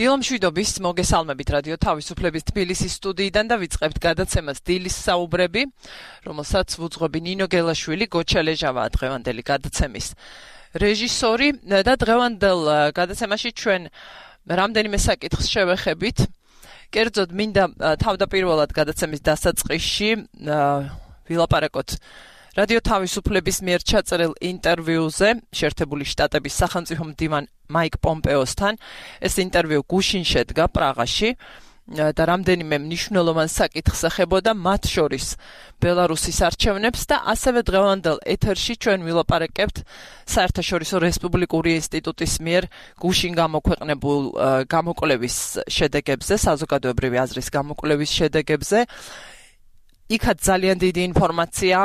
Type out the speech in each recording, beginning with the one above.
დილომშვიდობის მოგესალმებით რადიო თავისუფლების თბილისის სტუდიიდან და ვიწყებთ გადაცემას დილის საუბრები, რომელსაც ვუძღვები ნინო გელაშვილი, გოჩა ლეჟავაა დღევანდელი გადაცემის რეჟისორი და დღევანდელ გადაცემაში ჩვენ რამდენიმე საკითხს შევეხებით. კერძოდ მინდა თავდაპირველად გადაცემის დასაწყისში ვილაპარაკოთ რადიო თავისუფლების მიერ ჩაწერილ ინტერვიუზე შეერთებული შტატების სახელმწიფო მდივან მაიკ პომპეოსთან. ეს ინტერვიუ გუშინ შედგა პრაღაში და რამდენიმე მნიშვნელოვან საკითხს ეხებოდა, მათ შორის ბელარუსის არჩევნებს და ასევე დღევანდელ ეთერში ჩვენ ვილაპარაკებთ საერთაშორისო რესპუბლიკური ინსტიტუტის მიერ გუშინ გამოქვეყნებულ გამოკვლევის შედეგებზე, საზოგადოებრივი აზრის გამოკვლევის შედეგებზე. იქაც ძალიან დიდი ინფორმაცია,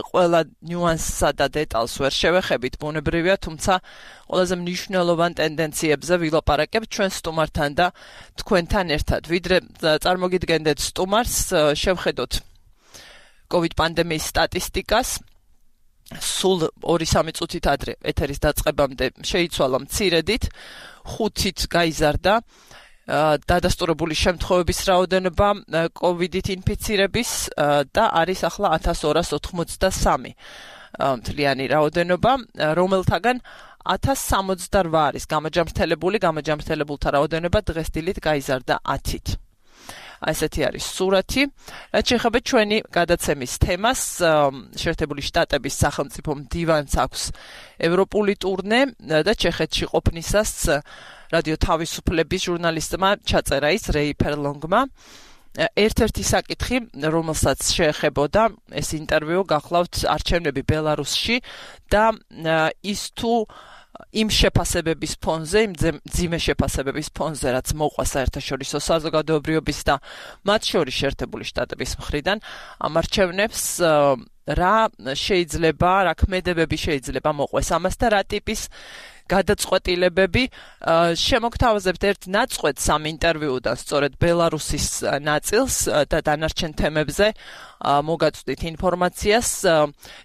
ყველა ნიუანსსა და დეტალს ვერ შევეხებით, ბუნებრივია, თუმცა ყველაზე მნიშვნელოვან ტენდენციებზე ვილაპარაკებთ ჩვენ სტუმართან და თქვენთან ერთად. ვიდრე წარმოგიდგენდეთ სტუმარს, შევხედოთ COVID პანდემიის სტატისტიკას. სულ 2-3 წუთით ადრე ეთერის დაწყებამდე შეიცვალა მცირედით, 5-ით გაიზარდა დადასტურებული შემთხვევების რაოდენობა COVID-ით ინფიცირების და არის ახლა 1283 მთლიანი რაოდენობა, რომელთაგან 1068 არის გამაჯამრთელებულთა რაოდენობა დღეს დილით გაიზარდა 10-ით. ესეთი არის სურათი. რაც შეეხება ჩვენი გადაცემის თემას, შეერთებული შტატების სახელმწიფო მდივანს აქვს ევროპული ტურნე და ჩეხეთში ყოფნისას რადიო თავისუფლების ჟურნალისტმა ჩაწერა ის რეი ფერლონგმა. ერთ-ერთი საკითხი, რომელსაც შეეხებოდა ეს ინტერვიუ, გახლავთ არჩევნები ბელარუსში და ის თუ იმ შეფასებების ფონზე, იმ მძიმე შეფასებების ფონზე, რაც მოყვა საერთაშორისო საზოგადოებრივობის და მათ შორის შეერთებული შტატების მხრიდან ამ არჩევნებს რა ქმედებები შეიძლება მოყვეს ამას და რა ტიპის გადაწყვეტილებები. შემოგთავაზებთ ერთ ნაწყვეტს ამ ინტერვიუდან, სწორედ ბელარუსის ნაწილს და დანარჩენ თემებზე მოგაწვდით ინფორმაციას.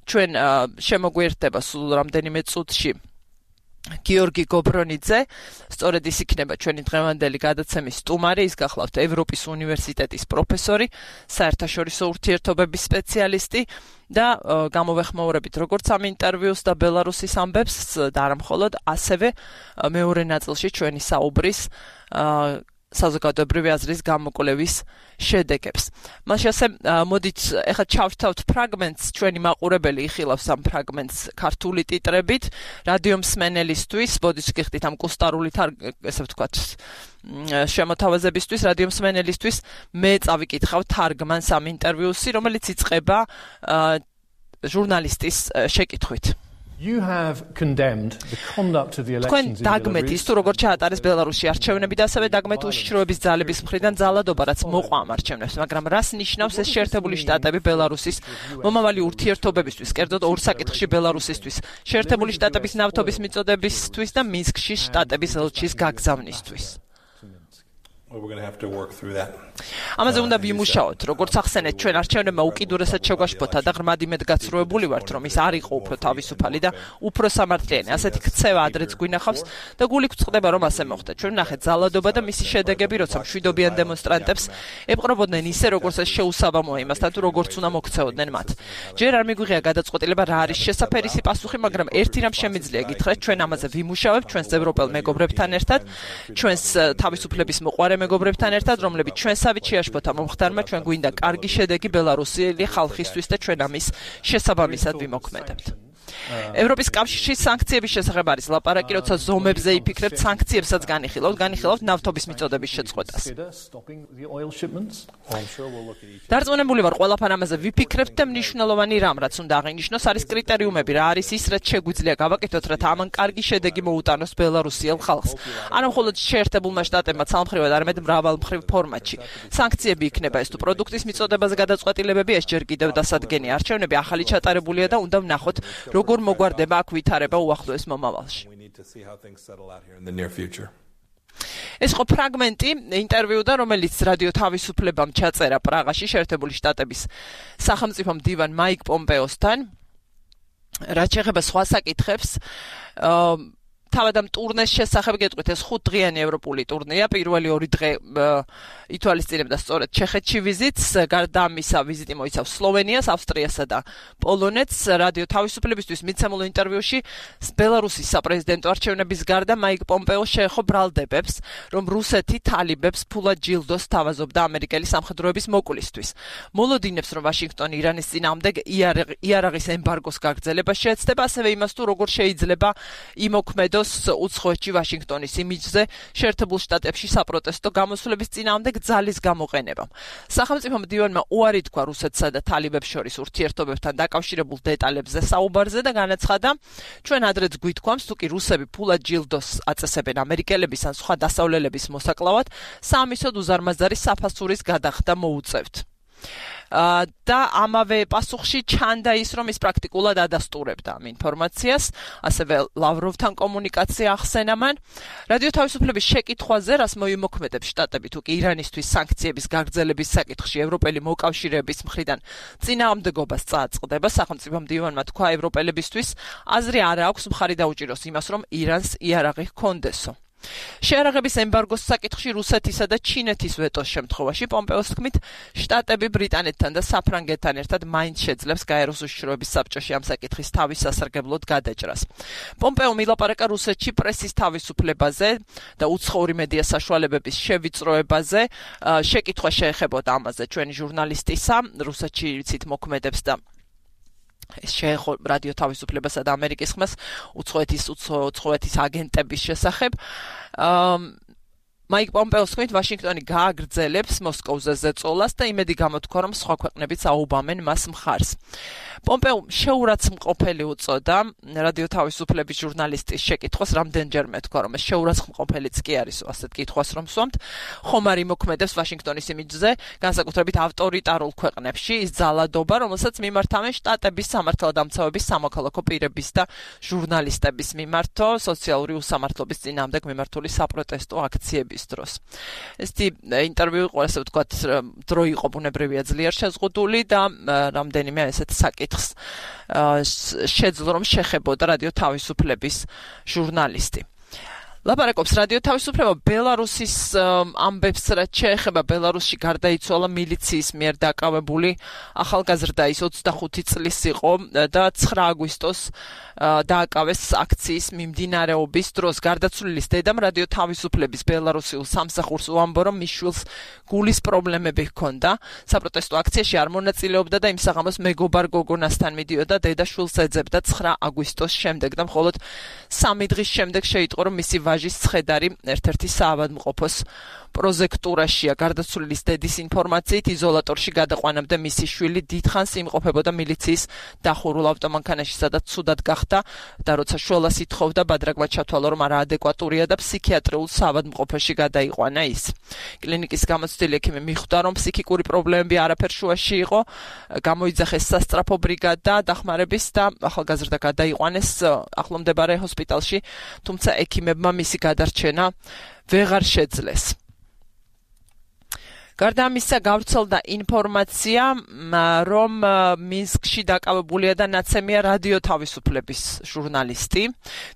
ჩვენ შემოგვიერთდება სულ რამდენიმე წუთში გიორგი გობრონიძე, სწორედ ის იქნება ჩვენი დღევანდელი გადაცემის სტუმარი, ის გახლავთ ევროპის უნივერსიტეტის პროფესორი, საერთაშორისო ურთიერთობების სპეციალისტი და გამოვეხმაურებით როგორც ამ ინტერვიუს და ბელარუსის ამბებს და არა მხოლოდ, ასევე მეორე ნაწილში ჩვენი საუბრის საზოგადოებრივი აზრის გამოკვლევის შედეგებს. მას ასე მოდით ეხლა ჩავშთავთ ფრაგმენტს, ჩვენი მაყურებელი იხილავს ამ ფრაგმენტს ქართული ტიტრებით, რადიო მსმენელისთვის, მოდით გიხდით ამ კუსტარული ესე ვთქვათ შემოთავაზებისთვის, რადიო მსმენელისთვის მე წავიკითხავ თარგმანს ამ ინტერვიუსი, რომელიც იწყება ჟურნალისტის შეკითხვით. You have condemned the conduct of the elections in დაგმეთ ის თუ როგორ ჩაატარეს ბელარუსში არჩევნები და ასევე დაგმეთ უშიშროების ძალების მხრიდან ძალადობა, რაც მოყვა ამ არჩევნებს, მაგრამ რას ნიშნავს ეს შეერთებული შტატები ბელარუსის მომავალი ურთიერთობებისთვის, კერძოდ ორ საკითხში ბელარუსისთვის, შეერთებული შტატების ნავთობის მიწოდებისთვის და მინსკში შტატების ელჩის გაგზავნისთვის. We're going to have to work through that. ამაზე უნდა ვიმუშაოთ, როგორც ახსენეთ, ჩვენ არჩევნებმა უკიდურესად შეგვაშფოთა და ღრმად იმედგაცრუებული ვართ, რომ ის არ იყო უფრო თავისუფალი და უფრო სამართლიანი. ასეთი ქცევა ადრეც გვინახავს და გული გვწყდება, რომ ასე მოხდა. ჩვენ ვნახეთ ძალადობა და მისი შედეგები, როცა მშვიდობიან დემონსტრანტებს ეპყრობოდნენ ისე, როგორც ეს შეუსაბამოა იმასთან, თუ როგორც უნდა მოქცეოდნენ მათ. ჯერ არ მიგვიღია გადაწყვეტილება რა არის შესაფერისი პასუხი, მაგრამ ერთი რამ შემიძლია გითხრათ, ჩვენ ამაზე ვიმუშავებთ, ჩვენს ევროპელ მეგობრებთან ერთად, ჩვენს თავისუფლების მოყვარე მეგობრებთან ერთად, რომლებიც ჩვენსავით შეაშფოთა მომხდარმა, ჩვენ გვინდა კარგი შედეგი ბელარუსელი ხალხისთვის და ჩვენ ამის შესაბამისად ვიმოქმედებთ. ევროპის კავშირის სანქციების შესახებ არის ლაპარაკი, როცა ზომებზე იფიქრებთ, სანქციებსაც განიხილავთ ნავთობის მიწოდების შეწყვეტას. დარწმუნებული ვარ, ყველაფერ ამაზე ვიფიქრებთ და მნიშვნელოვანი რამ, რაც უნდა აღინიშნოს, არის კრიტერიუმები, რა არის ის, რაც შეგვიძლია გავაკეთოთ, რათა ამან კარგი შედეგი მოუტანოს ბელარუსიელ ხალხს. არა მხოლოდ შეერთებულმა შტატებმა ცალმხრივად, არამედ მრავალმხრივ ფორმატში. სანქციები იქნება ეს თუ პროდუქტის მიწოდებაზე გადაწყვეტილებები, ეს ჯერ კიდევ დასადგენია. არჩევნები ახალი ჩატარებულია და უნდა ვნახოთ, როგორ მოგვარდება აქ ვითარება უახლოეს მომავალში. ეს ხო ფრაგმენტი ინტერვიუდან, რომელიც რადიო თავისუფლებამ ჩაწერა პრაღაში შეერთებული შტატების სახელმწიფო მდივან მაიკ პომპეოსთან. რაც შეეხება სხვა საკითხებს, თავად ამ ტურნეს შესახებ გეტყვით, ეს 5 დღიანი ევროპული ტურნეა. პირველი 2 დღე ითვალისწინებდა სწორედ ჩეხეთში ვიზიტს, გარდა ამისა ვიზიტი მოიცავს სლოვენიას, ავსტრიასა და პოლონეთს. რადიო თავისუფლებისთვის მიცემულ ინტერვიუში ბელარუსის საპრეზიდენტო არჩევნების გარდა მაიკ პომპეო შეეხო ბრალდებებს, რომ რუსეთი თალიბებს ფულად ჯილდოს თავაზობდა ამერიკელი სამხედროების მოკლისთვის. მოლოდინებს, რომ ვაშინგტონი ირანის წინააღმდეგ იარაღის ემბარგოს გაგრძელება შეეცდება, ასევე იმას თუ როგორ შეიძლება იმოქმედოს უცხოეთში ვაშინგტონის იმიჯზე შეერთებულ შტატებში საპროტესტო გამოსვლების წინააღმდეგ ძალის გამოყენებამ. სახელმწიფო მდივანმა უარი თქვა რუსეთსა და თალიბებს შორის ურთიერთობებთან დაკავშირებულ დეტალებზე საუბარზე და განაცხადა, ჩვენ ადრეც გვითქვამს, თუ კი რუსები ფულად ჯილდოს აწესებენ ამერიკელების ან სხვა დასავლელების მოსაკლავად, საამისოდ უზარმაზარი საფასურის გადახდა მოუწევთ. და ამავე პასუხში ჩანდა ის, რომ ის პრაქტიკულად ადასტურებდა ამ ინფორმაციას, ასევე ლავროვთან კომუნიკაცია ახსენა მან. რადიო თავისუფლების შეკითხვაზე, რას მოიმოქმედებს შტატები თუ კი ირანისთვის სანქციების გაგრძელების საკითხში ევროპელი მოკავშირეების მხრიდან წინააღმდეგობას წააწყდება, სახელმწიფო მდივანმა თქვა, ევროპელებისთვის აზრი არ აქვს მხარი დაუჭიროს იმას, რომ ირანს იარაღი ჰქონდესო. შეარაღების ემბარგოს საკითხში რუსეთისა და ჩინეთის ვეტოს შემთხვევაში პომპეოს თქმით, შტატები ბრიტანეთთან და საფრანგეთთან ერთად მაინც შეძლებს გაეროს უშიშროების საბჭოში ამ საკითხის თავის სასარგებლოდ გადაჭრას. პომპეო მილაპარაკა რუსეთში პრესის თავისუფლებაზე და უცხოური მედია საშუალებების შევიწროებაზე. შეკითხვა შეეხებოდა ამაზე ჩვენი ჟურნალისტისა, რუსეთში ვიცით მოქმედებს და ეს შეეხო რადიო თავისუფლებასა და ამერიკის ხმას უცხოეთის აგენტების შესახებ. მაიკ პომპეოს თქმით, ვაშინგტონი გააგრძელებს მოსკოვზე ზეწოლას და იმედი გამოთქვა, რომ სხვა ქვეყნებიც აუბამენ მას მხარს. პომპეომ შეურაცხმყოფელი უწოდა რადიო თავისუფლების ჟურნალისტის შეკითხვას, რამდენჯერმე თქვა, რომ ეს შეურაცხმყოფელიც კი არის, ასეთ კითხვას რომ სვამთ. ხომ არ იმოქმედებს ვაშინგტონის იმიჯზე, განსაკუთრებით ავტორიტარულ ქვეყნებში, ის ძალადობა, რომელსაც მიმართავენ შტატების სამართალდამცავების, სამოქალაქო პირების და ჟურნალისტების მიმართო სოციალური უსამართლობის წინააღმდეგ მიმართული საპროტესტო აქციების დროს. ესეთი ინტერვიუ იყო, ასე ვთქვათ, დრო იყო ბუნებრივია ძლიერ შეზღუდული და რამდენიმე ესეთ საკითხს შეძლო რომ შეხებოდა რადიო თავისუფლების ჟურნალისტი. ლაპარაკობს რადიო თავისუფლება ბელარუსის ამბებს, რაც შეეხება ბელარუსში გარდაიცვალა მილიციის მიერ დაკავებული ახალგაზრდა, ის 25 წლის იყო და 9 აგვისტოს დააკავეს აქციის მიმდინარეობის დროს. გარდაცვლილის დედამ რადიო თავისუფლების ბელარუსიულ სამსახურს უამბო, რომ მის შვილს გულის პრობლემები ჰქონდა. საპროტესტო აქციაში არ მონაწილეობდა და იმ საღამოს მეგობარ გოგონასთან მიდიოდა, დედა შვილს ეძებდა 9 აგვისტოს შემდეგ და მხოლოდ 3 დღის შემდეგ შეიტყო, რომ მისი ვაჟის ცხედარი ერთ-ერთი საავადმყოფოს პროზექტურაშია. გარდაცვლილის დედის ინფორმაციით იზოლატორში გადაყვანამდე მისი შვილი დიდხანს იმყოფებოდა მილიციის დახურულ ავტომანქანაში, სადაც ცუდად გახდა და როცა შველას ითხოვდა, ბადრაგმა ჩათვალა, რომ არაადეკვატურია და ფსიქიატრიულ საავადმყოფოში გადაიყვანა ის. კლინიკის გამოცდილი ექიმი მიხვდა, რომ ფსიქიკური პრობლემები არაფერ შუაში იყო, გამოიძახეს სასწრაფო ბრიგადა დახმარების და ახალგაზრდა გადაიყვანეს ახლომდებარე ჰოსპიტალში, თუმცა ექიმებმა მისი გადარჩენა ვეღარ შეძლეს. გარდა ამისა გავრცელდა ინფორმაცია, რომ მინსკში დაკავებულია და ნაცემია რადიო თავისუფლების ჟურნალისტი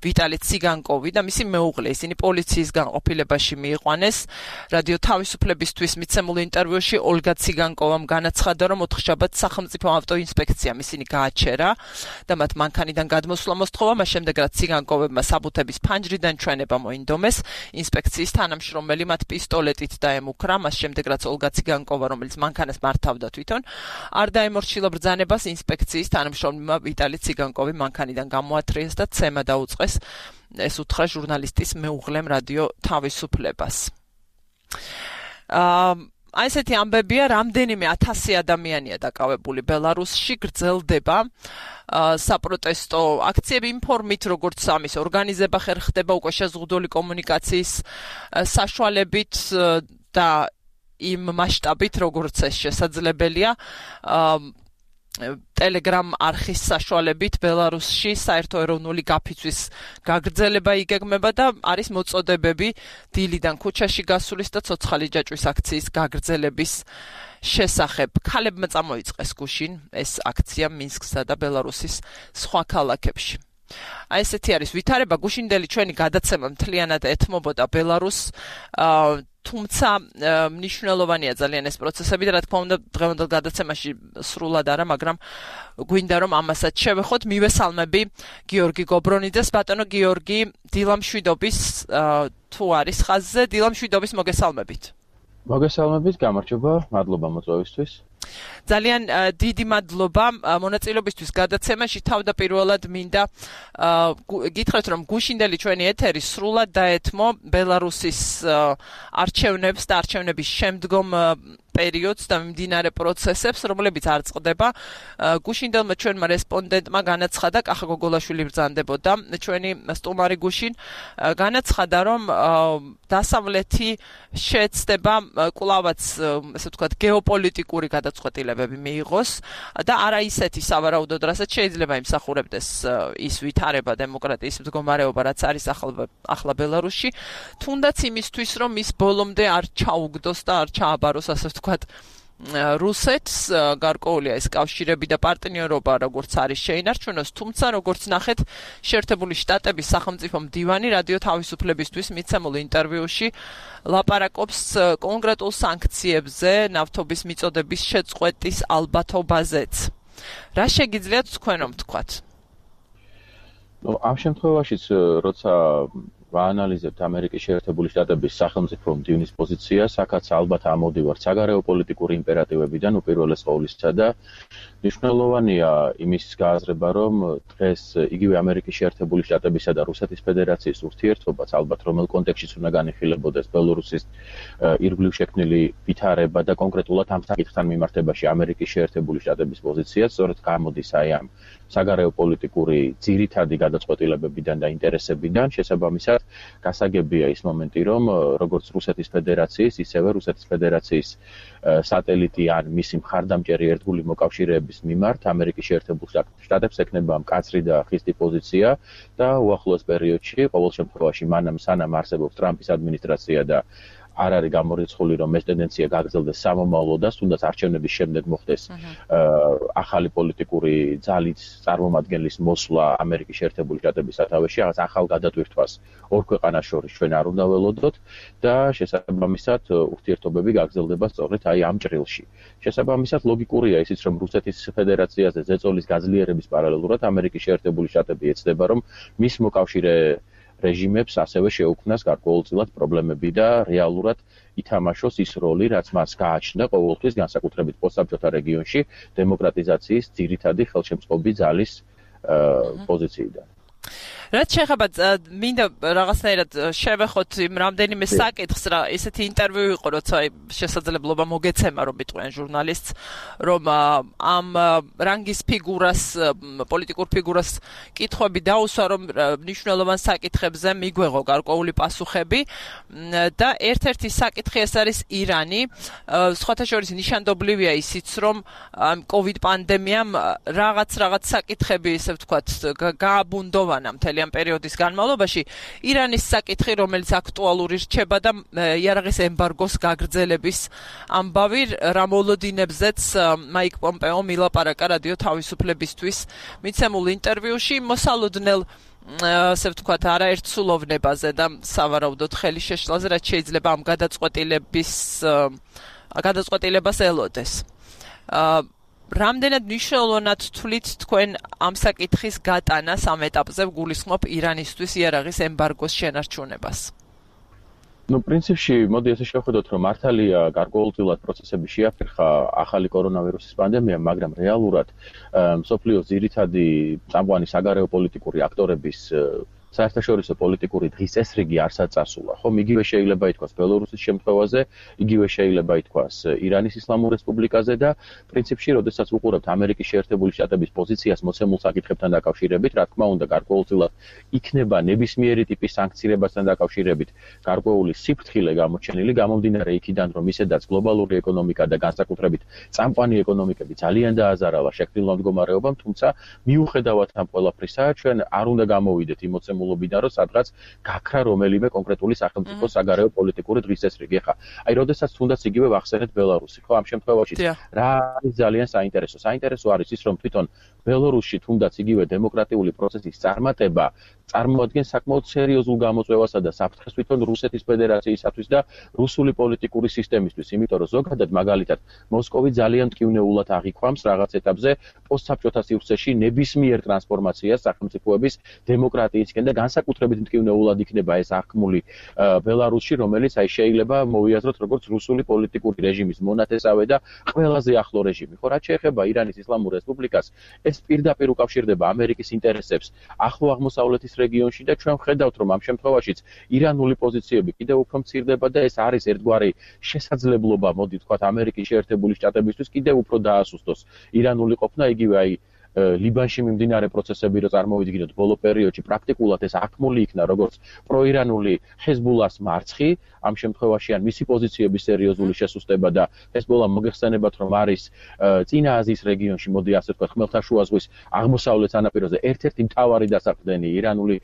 ვიტალი ციგანკოვი და მისი მეუღლე. ისინი პოლიციის განყოფილებაში მიიყვანეს. რადიო თავისუფლებისთვის მიცემულ ინტერვიუში ოლგა ციგანკოვამ განაცხადა, რომ ოთხშაბათს სახელმწიფო ავტოინსპექციამ ისინი გააჩერა და მათ მანქანიდან გადმოსვლა მოსთხოვა, მას შემდეგ რაც ციგანკოვებმა საბუთების ფანჯრიდან ჩვენება მოინდომეს. ინსპექციის თანამშრომელი მათ პისტოლეტით დაემუქრა, მას შემდეგ რაც ოლგა ციგანკოვა, რომელიც მანქანას მართავდა თვითონ, არ დაემორჩილა ბრძანებას. ინსპექციის თანამშრომლებმა ვიტალი ციგანკოვი მანქანიდან გამოათრიეს და ცემა დაუწყეს. ეს უთხრა ჟურნალისტის მეუღლემ რადიო თავისუფლებას. აი ესეთი ამბებია, რამდენიმე 1000 ადამიანია დაკავებული ბელარუსში, გრძელდება საპროტესტო აქციები ინფორმით, როგორც ამის ორგანიზება ხერხდება უკვე შეზღუდული კომუნიკაციის საშუალებით და იმ მასშტაბით, როგორც ეს შესაძლებელია. Telegram არხის საშუალებით ბელარუსში საერთო ეროვნული გაფიცვის გაგრძელება იგეგმება და არის მოწოდებები დილიდან ქუჩაში გასulis და ცოცხალი ჯაჭვის აქციის გაგრძელების შესახებ. ქალებმა წამოიწყეს გუშინ ეს აქცია მინსკსა და ბელარუსის სხვა ქალაქებში. აი ესეთი არის ვითარება, გუშინდელი ჩვენი გადაცემა მთლიანად ეთმობოდა ბელარუსს, თუმცა მნიშვნელოვანია ძალიან ეს პროცესები და რა თქმა უნდა დღევანდელ გადაცემაში სრულად არა, მაგრამ გვინდა რომ ამასაც შევეხოთ. მივესალმები გიორგი გობრონიძეს. ბატონო გიორგი, დილამშვიდობის თუ არის ხაზზე, დილამშვიდობის მოგესალმებით. მოგესალმებით, გამარჯობა, მადლობა მოწვევისთვის. ძალიან დიდი მადლობა მონაწილეობისთვის გადაცემაში. თავდაპირველად მინდა გითხრათ, რომ გუშინდელი ჩვენი ეთერი სრულად დაეთმო ბელარუსის არჩევნებს და არჩევნების შემდგომ პერიოდს და მიმდინარე პროცესებს, რომლებიც არ წყდება. გუშინდელმა ჩვენმა რესპონდენტმა განაცხადა, კახა გოგოლაშვილი ბრძანდებოდა, ჩვენი სტუმარი გუშინ განაცხადა, რომ დასავლეთი შეეცდება კვლავაც, ესე ვთქვათ, გეოპოლიტიკური გადაწყვეტილებები მიიღოს და არა ისეთი სავარაუდოდ, რასაც შეიძლება იმსახურებდეს ის ვითარება დემოკრატიის მდგომარეობა, რაც არის ახლა ბელარუსში, თუნდაც იმისთვის, რომ ის ბოლომდე არ ჩაუგდოს და არ ჩააბაროს, ასე ვთქვათ, რუსეთს, გარკვეულია ეს კავშირები და პარტნიორობა, როგორც არის შეინარჩუნოს, თუმცა როგორც ნახეთ, შეერთებული შტატების სახელმწიფო მდივანი რადიო თავისუფლებისთვის მიცემულ ინტერვიუში ლაპარაკობს კონკრეტულ სანქციებზე, ნავთობის მიწოდების შეწყვეტის ალბათობაზეც. რა შეგიძლიათ თქვენო თქვათ? ამ შემთხვევაშიც, როცა ვაანალიზებთ ამერიკის შეერთებული შტატების სახელმწიფო მდივნის პოზიციას, აქაც ალბათ ამოდივართ საგარეო პოლიტიკური იმპერატივებიდან უპირველეს ყოვლისა და მნიშვნელოვანია იმის გააზრება, რომ დღეს იგივე ამერიკის შეერთებული შტატებისა და რუსეთის ფედერაციის ურთიერთობაც ალბათ რომელ კონტექსტშიც უნდა განიხილებოდეს ბელორუსის ირგვლივ შექმნილი ვითარება და კონკრეტულად ამ საკითხთან მიმართებაში ამერიკის შეერთებული შტატების პოზიციაც სწორედ გამოდის აი ამ საგარეო პოლიტიკური ძირითადი გადაწყვეტილებებიდან და ინტერესებიდან. შესაბამისად, გასაგებია ის მომენტი, რომ როგორც რუსეთის ფედერაციის, ისევე რუსეთის ფედერაციის სატელიტი ან მისი მხარდამჭერი ერთგული მოკავშირეების მიმართ ამერიკის შეერთებულ შტატებს ექნება მკაცრი და ხისტი პოზიცია და უახლოეს პერიოდში, ყოველ შემთხვევაში მანამ სანამ არსებობს ტრამპის ადმინისტრაცია და არ არის გამორიცხული, რომ ეს ტენდენცია გაგრძელდეს სამომავლოდაც, თუნდაც არჩევნების შემდეგ მოხდეს ახალი პოლიტიკური ძალის წარმომადგენლის მოსვლა ამერიკის შეერთებული შტატების სათავეში, რაღაც ახალ გადატვირთვას ორ ქვეყანას შორის ჩვენ არ უნდა ველოდოთ და შესაბამისად ურთიერთობები გაგრძელდება სწორედ აი ამ ჭრილში. შესაბამისად ლოგიკურია ისიც, რომ რუსეთის ფედერაციაზე ზეწოლის გაძლიერების პარალელურად ამერიკის შეერთებული შტატები ეცდება, რომ მის მოკავშირე რეჟიმებს ასევე შეუქმნას გარკვეულწილად პრობლემები და რეალურად ითამაშოს ის როლი, რაც მას გააჩნდა ყოველთვის განსაკუთრებით პოსტსაბჭოთა რეგიონში დემოკრატიზაციის ძირითადი ხელშემწყობი ძალის პოზიციიდან. რაც შეეხება მინდა რაღაცნაირად შევეხოთ იმ რამდენიმე საკითხს, რა ესეთი ინტერვიუ იყო, როცა შესაძლებლობა მოგეცემა, რომ მიტყვიან ჟურნალისტს, რომ ამ რანგის ფიგურას, პოლიტიკურ ფიგურას კითხვები დაუსვა, რომ მნიშვნელოვან საკითხებზე მიგვეღო გარკვეული პასუხები და ერთ-ერთი საკითხი ეს არის ირანი. სხვათა შორის ნიშანდობლივია ისიც, რომ COVID პანდემიამ რაღაც საკითხები, ესე ვთქვათ, გააბუნდოვანა მთელი ამ პერიოდის განმავლობაში. ირანის საკითხი, რომელიც აქტუალური რჩება და იარაღის ემბარგოს გაგრძელების ამბავი, რა მოლოდინებზეც მაიკ პომპეო მილაპარაკა რადიო თავისუფლებისთვის მიცემულ ინტერვიუში, მოსალოდნელ ასე ვთქვათ, არაერთ სულოვნებაზე და სავარაუდოდ ხელი შეშლაზე, რაც შეიძლება ამ გადაწყვეტილებას ელოდეს. რამდენად მნიშვნელოვნად თვლით თქვენ ამ საკითხის გატანას ამ ეტაპზე გულისხმობ ირანისთვის იარაღის ემბარგოს შენარჩუნებას? პრინციპში, მოდი ესე შევხედოთ, რომ მართალია გარკვეულწილად პროცესები შეაფერხა ახალი კორონავირუსის პანდემიამ, მაგრამ რეალურად მსოფლიოს ძირითადი წამყვანი საგარეო პოლიტიკური აქტორების საერთაშორისო პოლიტიკური დღის წესრიგი არცად წასულა. ხომ იგივე შეიძლება ითქვას ბელორუსის შემთხვევაზე, იგივე შეიძლება ითქვას ირანის ისლამურ რესპუბლიკაზე და პრინციპში, როდესაც ვუყურებთ ამერიკის შეერთებული შტატების პოზიციას მოცემულ საკითხებთან დაკავშირებით, რა თქმა უნდა, გარკვეულწილად იქნება ნებისმიერი ტიპის სანქციებასთან დაკავშირებით გარკვეული სიფრთხილე გამოჩენილი, გამომდინარე იქიდან, რომ ისედაც გლობალური ეკონომიკა და განსაკუთრებით წამყვანი ეკონომიკები ძალიან დააზარალა შექმნილმა მდგომარეობამ, თუმცა მიუხედავად ამ ყველაფრისა, ჩვენ არ უნდა გამოვიდეთ იმ მოცემულ დაწესებულებიდან, რომ სადღაც გაქრა რომელიმე კონკრეტული სახელმწიფოს საგარეო პოლიტიკური დღესდღეობით. ეხლა, აი, როდესაც თუნდაც იგივე ვახსენეთ ბელარუსი, ხო, ამ შემთხვევაში რა არის ძალიან საინტერესო. საინტერესო არის ის, რომ თვითონ ბელარუსში თუნდაც იგივე დემოკრატიული პროცესის წარმატება წარმოადგენს საკმაოდ სერიოზულ გამოწვევასა და საფრთხეს თვითონ რუსეთის ფედერაციისათვის და რუსული პოლიტიკური სისტემისთვის, იმიტომ რომ ზოგადად მაგალითად მოსკოვი ძალიან მტკივნეულად აღიქვამს რაღაც ეტაპზე პოსტსაბჭოთა სივრცეში ნებისმიერ ტრანსფორმაციას სახელმწიფოების დემოკრატიისკენ და განსაკუთრებით მტკივნეულად იქნება ეს აღქმული ბელარუსში, რომელიც აი შეიძლება მოვიაზროთ როგორც რუსული პოლიტიკური რეჟიმის მონათესავე და ყველაზე ახლო რეჟიმი. ხო, რაც შეეხება ირანის ისლამურ რესპუბლიკას, ეს პირდაპირ უკავშირდება ამერიკის ინტერესებს ახლო აღმოსავლეთის რეგიონში და ჩვენ ვხედავთ, რომ ამ შემთხვევაშიც ირანული პოზიციები კიდევ უფრო მცირდება და ეს არის ერთგვარი შესაძლებლობა, მოდი ვთქვათ, ამერიკის შეერთებული შტატებისთვის კიდევ უფრო დაასუსტოს ირანული ყოფნა, იგივე აი ლიბანში მიმდინარე პროცესები რო წარმოვიდგინოთ ბოლო პერიოდში პრაქტიკულად ეს აქმული იქნა როგორც პროირანული ჰეზბულას მარცხი ამ შემთხვევაში ან მისი პოზიციების სერიოზული შესუსტება და ჰეზბოლა მოგეხსენებათ რომ არის წინა აზიის რეგიონში მოდი ასე ვთქვათ ხმელთაშუა ზღვის აღმოსავლეთ სანაპიროზე ერთ-ერთი მთავარი დასაყრდენი ირანული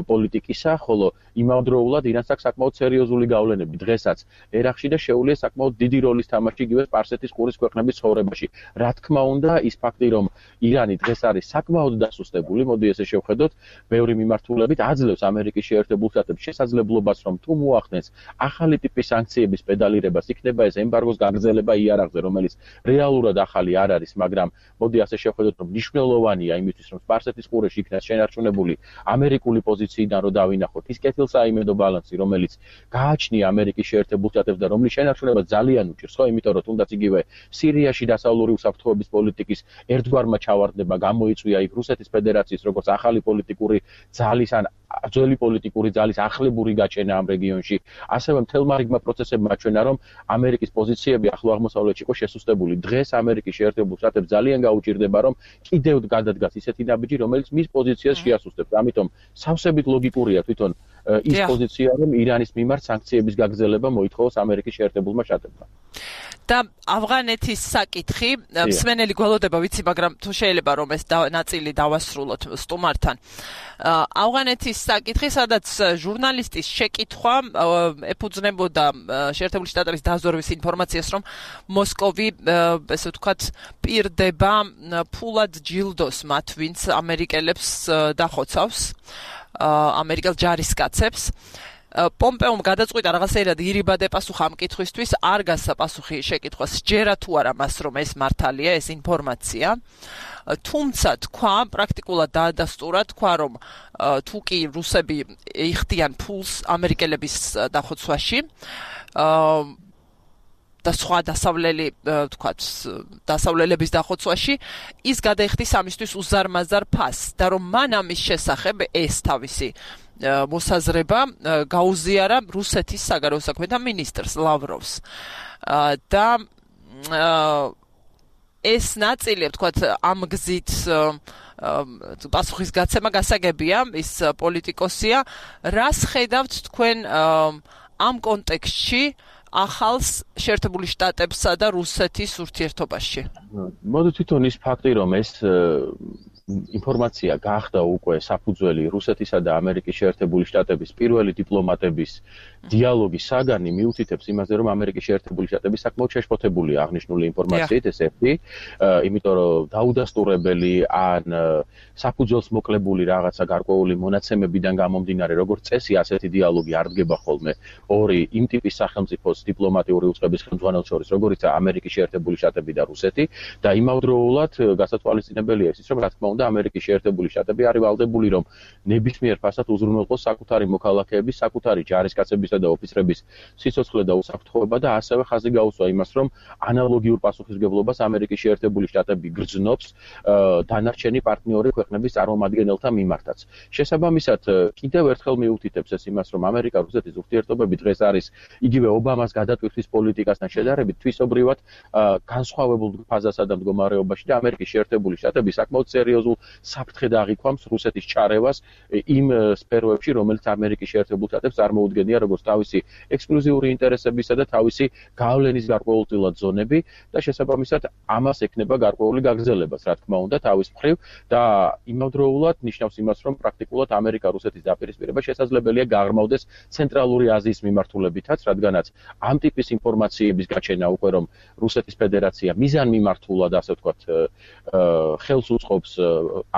პოლიტიკისა ხოლო იმავდროულად ირანს აქვს საკმაოდ სერიოზული გავლენები დღესაც ერაყში და შეუძლია საკმაოდ დიდი როლის თამაში იგივე სპარსეთის ყურის ქვეყნების ცხოვრებაში რა თქმა უნდა ის ფაქტი რომ ირანი დღეს არის საკმაოდ დასუსტებული, მოდი ესე შევხედოთ, ბევრი მიმართულებით აძლევს ამერიკის შეერთებულ შტატებს შესაძლებლობას, რომ თუ მოახდენს ახალი ტიპის სანქციების პედალირებას, იქნება ეს ემბარგოს გაგრძელება იარაღზე, რომელიც რეალურად ახალი არ არის, მაგრამ მოდი ასე შევხედოთ, რომ მნიშვნელოვანია იმისთვის, რომ სპარსეთის ყურეში იქნას შენარჩუნებული ამერიკული პოზიციიდან რომ დავინახოთ ის კეთილსაიმედო ბალანსი, რომელიც გააჩნია ამერიკის შეერთებულ შტატებს და რომლის შენარჩუნება ძალიან უჭირს, ხო, იმიტომ რომ თუნდაც იგივე სირიაში დასავლური უსაფრთხოების პოლიტიკის ერთგვარმა ჩავარდება გამოიწვია იქ რუსეთის ფედერაციის როგორც ახალი პოლიტიკური ძალის ან ძველი პოლიტიკური ძალის ახლებური გაჩენა ამ რეგიონში ასევე მთელმა რიგმა პროცესებმა აჩვენა რომ ამერიკის პოზიციები ახლო აღმოსავლეთში იყო შესუსტებული დღეს ამერიკის შეერთებულ შტატებს ძალიან გაუჭირდება რომ კიდევ გადადგას ისეთი ნაბიჯი რომელიც მის პოზიციას შეასუსტებს ამიტომ სავსებით ლოგიკურია თვითონ ის პოზიცია რომ ირანის მიმართ სანქციების გაგრძელება მოითხოვოს ამერიკის შეერთებულმა შტატებმა და ავღანეთის საკითხი მსმენელი გველოდება ვიცი მაგრამ თუ შეიძლება რომ ეს ნაწილი დავასრულოთ სტუმართან ავღანეთის საკითხი სადაც ჟურნალისტის შეკითხვა ეფუძნებოდა შეერთებული შტატების დაზვერვის ინფორმაციას რომ მოსკოვი ესე ვთქვათ პირდება ფულად ჯილდოს მათ ვინც ამერიკელებს დახოცავს ამერიკელ ჯარისკაცებს პომპეომ გადაწყვიტა რაღაცეირად ირიბადე პასუხა ამ კითხვისთვის არ გასცა პასუხი შეკითხვას ჯერა თუ არა მას რომ ეს მართალია ეს ინფორმაცია თუმცა თქვა პრაქტიკულად დაადასტურა თქვა რომ თუ კი რუსები იხდიან ფულს ამერიკელების დახოცვაში და სხვა დასავლელი ვთქვათ დასავლელების დახოცვაში ის გადაიხდის ამისთვის უზარმაზარ ფასს და რომ მან ამის შესახებ ეს თავისი მოსაზრება გაუზიარა რუსეთის საგარეო საქმეთა მინისტრს ლავროვს და ეს ნაწილი ვთქვათ ამ გზით პასუხის გაცემა გასაგებია ის პოლიტიკოსია რას ხედავთ თქვენ ამ კონტექსტში ახალს შეერთებული შტატებსა და რუსეთის ურთიერთობაში მოდი თვითონ ის ფაქტი რომ ეს ინფორმაცია გახდა უკვე საფუძველი რუსეთისა და ამერიკის შეერთებული შტატების პირველი დიპლომატების დიალოგის საგანი მიუთითებს იმაზე რომ ამერიკის შეერთებული შტატები საკმაოდ შეშფოთებულია აღნიშნული ინფორმაციით ეს ერთი იმიტომ რომ დაუდასტურებელი ან საფუძველს მოკლებული რაღაცა გარკვეული მონაცემებიდან გამომდინარე როგორც წესი ასეთი დიალოგი არ დგება ხოლმე ორი იმ ტიპის სახელმწიფოს დიპლომატიური უწყების ხელმძღვანელს შორის როგორიცაა ამერიკის შეერთებული შტატები და რუსეთი და იმავდროულად გასათვალისწინებელია ის რომ რა თქმა უნდა ამერიკის შეერთებული შტატები არის ვალდებული რომ ნებისმიერ ფასად უზრუნველყოს საკუთარი მოქალაქეების საკუთარი ჯარისკაცებისა და ოფიცრების სიცოცხლე და უსაფრთხოება და ასევე ხაზი გაუსვა იმას რომ ანალოგიურ პასუხისმგებლობას ამერიკის შეერთებული შტატები გრძნობს დანარჩენი პარტნიორი ქვეყნების წარმომადგენელთა მიმართაც შესაბამისად კიდევ ერთხელ მიუთითებს ეს იმას რომ ამერიკა-რუსეთის ურთიერთობები დღეს არის იგივე ობამას გადატვირთვის პოლიტიკასთან შედარებით თვისობრივად განსხვავებულ ფაზასა და მდგომარეობაში და ამერიკის შეერთებული შტატები საკმაოდ სერიოზულ სერიოზულ საფრთხედ აღიქვამს რუსეთის ჩარევას იმ სფეროებში, რომელიც ამერიკის შეერთებულ შტატებს წარმოუდგენია როგორც თავისი ექსკლუზიური ინტერესებისა და თავისი გავლენის გარკვეულწილად ზონები და შესაბამისად ამას ექნება გარკვეული გაგრძელებაც, რა თქმა უნდა, თავის მხრივ და იმავდროულად ნიშნავს იმას, რომ პრაქტიკულად ამერიკა-რუსეთის დაპირისპირება შესაძლებელია გაღრმავდეს ცენტრალური აზიის მიმართულებითაც, რადგანაც ამ ტიპის ინფორმაციების გაჩენა უკვე რომ რუსეთის ფედერაცია მიზანმიმართულად, ასე ვთქვათ, ხელს უწყობს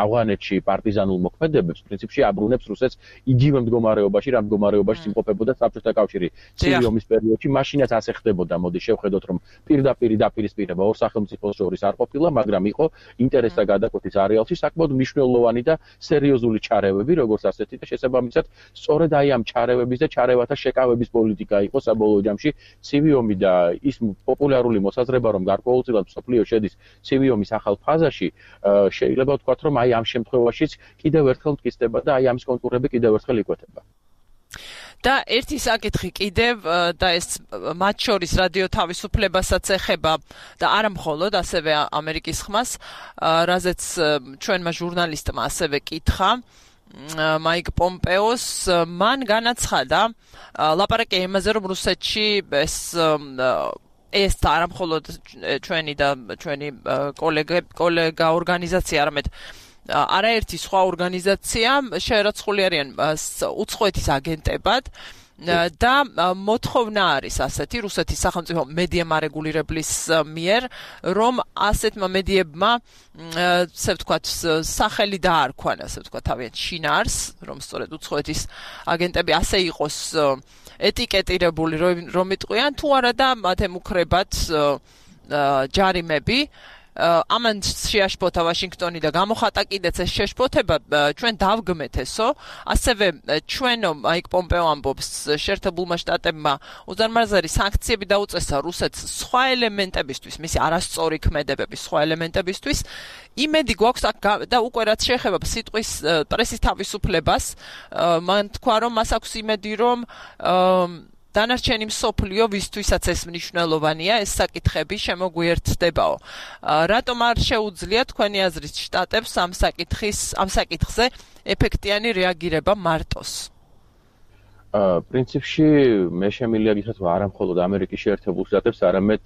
ავღანეთში პარტიზანულ მოქმედებებს, პრინციპში აბრუნებს რუსეთს იგივე მდგომარეობაში, რა მდგომარეობაში იმყოფებოდა საბჭოთა კავშირი ცივი ომის პერიოდში, მაშინაც ასე ხდებოდა. მოდი შევხედოთ, რომ პირდაპირ დაპირისპირება ორ სახელმწიფოს შორის არ ყოფილა, მაგრამ იყო ინტერესთა გადაკვეთის არეალში საკმაოდ მნიშვნელოვანი და სერიოზული ჩარევები, როგორც ასეთი და შესაბამისად, სწორედ აი ამ ჩარევების და ჩარევათა შეკავების პოლიტიკა იყო საბოლოო ჯამში ცივი ომი და ის პოპულარული მოსაზრება, რომ გარკვეულწილად მსოფლიო შედის ცივი ომის ახალ ფაზაში, შეიძლება ვთქვათ, რომ აი ამ შემთხვევაშიც კიდევ ერთხელ მტკიცდება და აი ამის კონტურები კიდევ ერთხელ იკვეთება. და ერთი საკითხი კიდევ და ეს მათ შორის რადიო თავისუფლებასაც ეხება და არა მხოლოდ ასევე ამერიკის ხმას, რაზეც ჩვენმა ჟურნალისტმა ასევე კითხა მაიკ პომპეოს, მან განაცხადა ლაპარაკი იმაზე, რომ რუსეთში ეს არა მხოლოდ ჩვენი და ჩვენი კოლეგა ორგანიზაცია, არამედ არაერთი სხვა ორგანიზაცია შეერაცხული არიან უცხოეთის აგენტებად და მოთხოვნა არის ასეთი რუსეთის სახელმწიფო მედია მარეგულირებლის მიერ, რომ ასეთმა მედიებმა ასე ვთქვათ სახელი დაარქვან, ასე ვთქვათ თავიანთ შინაარს, რომ სწორედ უცხოეთის აგენტები ასე იყოს ეტიკეტირებული, რომ იტყვიან თუ არა და მათ ემუქრებათ ჯარიმები. ამან შეაშფოთა ვაშინგტონი და გამოხატა კიდეც ეს შეშფოთება ჩვენ დავგმეთ ესო, ასევე ჩვენო მაიკ პომპეო ამბობს შეერთებულმა შტატებმა უზარმაზარი სანქციები დაუწესა რუსეთს სხვა ელემენტებისთვის, მისი არასწორი ქმედებების სხვა ელემენტებისთვის. იმედი გვაქვს და უკვე რაც შეეხება სიტყვის პრესის თავისუფლებას, მან თქვა, რომ მას აქვს იმედი, რომ დანარჩენი მსოფლიო ვისთვისაც ეს მნიშვნელოვანია, ეს საკითხები შემოგვიერთდებაო. რატომ არ შეუძლია თქვენი აზრით შტატებს ამ საკითხზე ეფექტიანი რეაგირება მარტოს? პრინციპში მე შემიძლია გითხრათ, რომ არა მხოლოდ ამერიკის შეერთებულ შტატებს, არამედ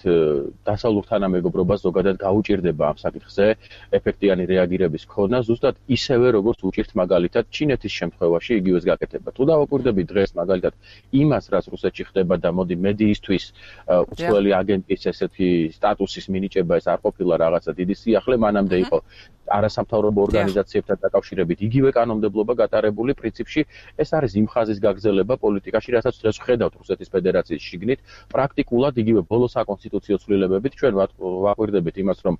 დასავლურ თანამეგობრობას ზოგადად გაუჭირდება ამ საკითხზე ეფექტიანი რეაგირების ქონა, ზუსტად ისევე როგორც უჭირთ მაგალითად ჩინეთის შემთხვევაში იგივეს გაკეთება. თუ დავაკვირდებით დღეს მაგალითად იმას, რაც რუსეთში ხდება და მოდი მედიისთვის უცხოელი აგენტის ესეთი სტატუსის მინიჭება ეს არ ყოფილა რაღაცა დიდი სიახლე, მანამდე იყო არასამთავრობო ორგანიზაციებთან დაკავშირებით იგივე კანონმდებლობა გატარებული, პრინციპში ეს არის იმ ხაზის გაგრძელება პოლიტიკაში, რასაც დღეს ვხედავთ რუსეთის ფედერაციის შიგნით, პრაქტიკულად იგივე ბოლო საკონსტიტუციო ცვლილებებით ჩვენ ვაკვირდებით იმას, რომ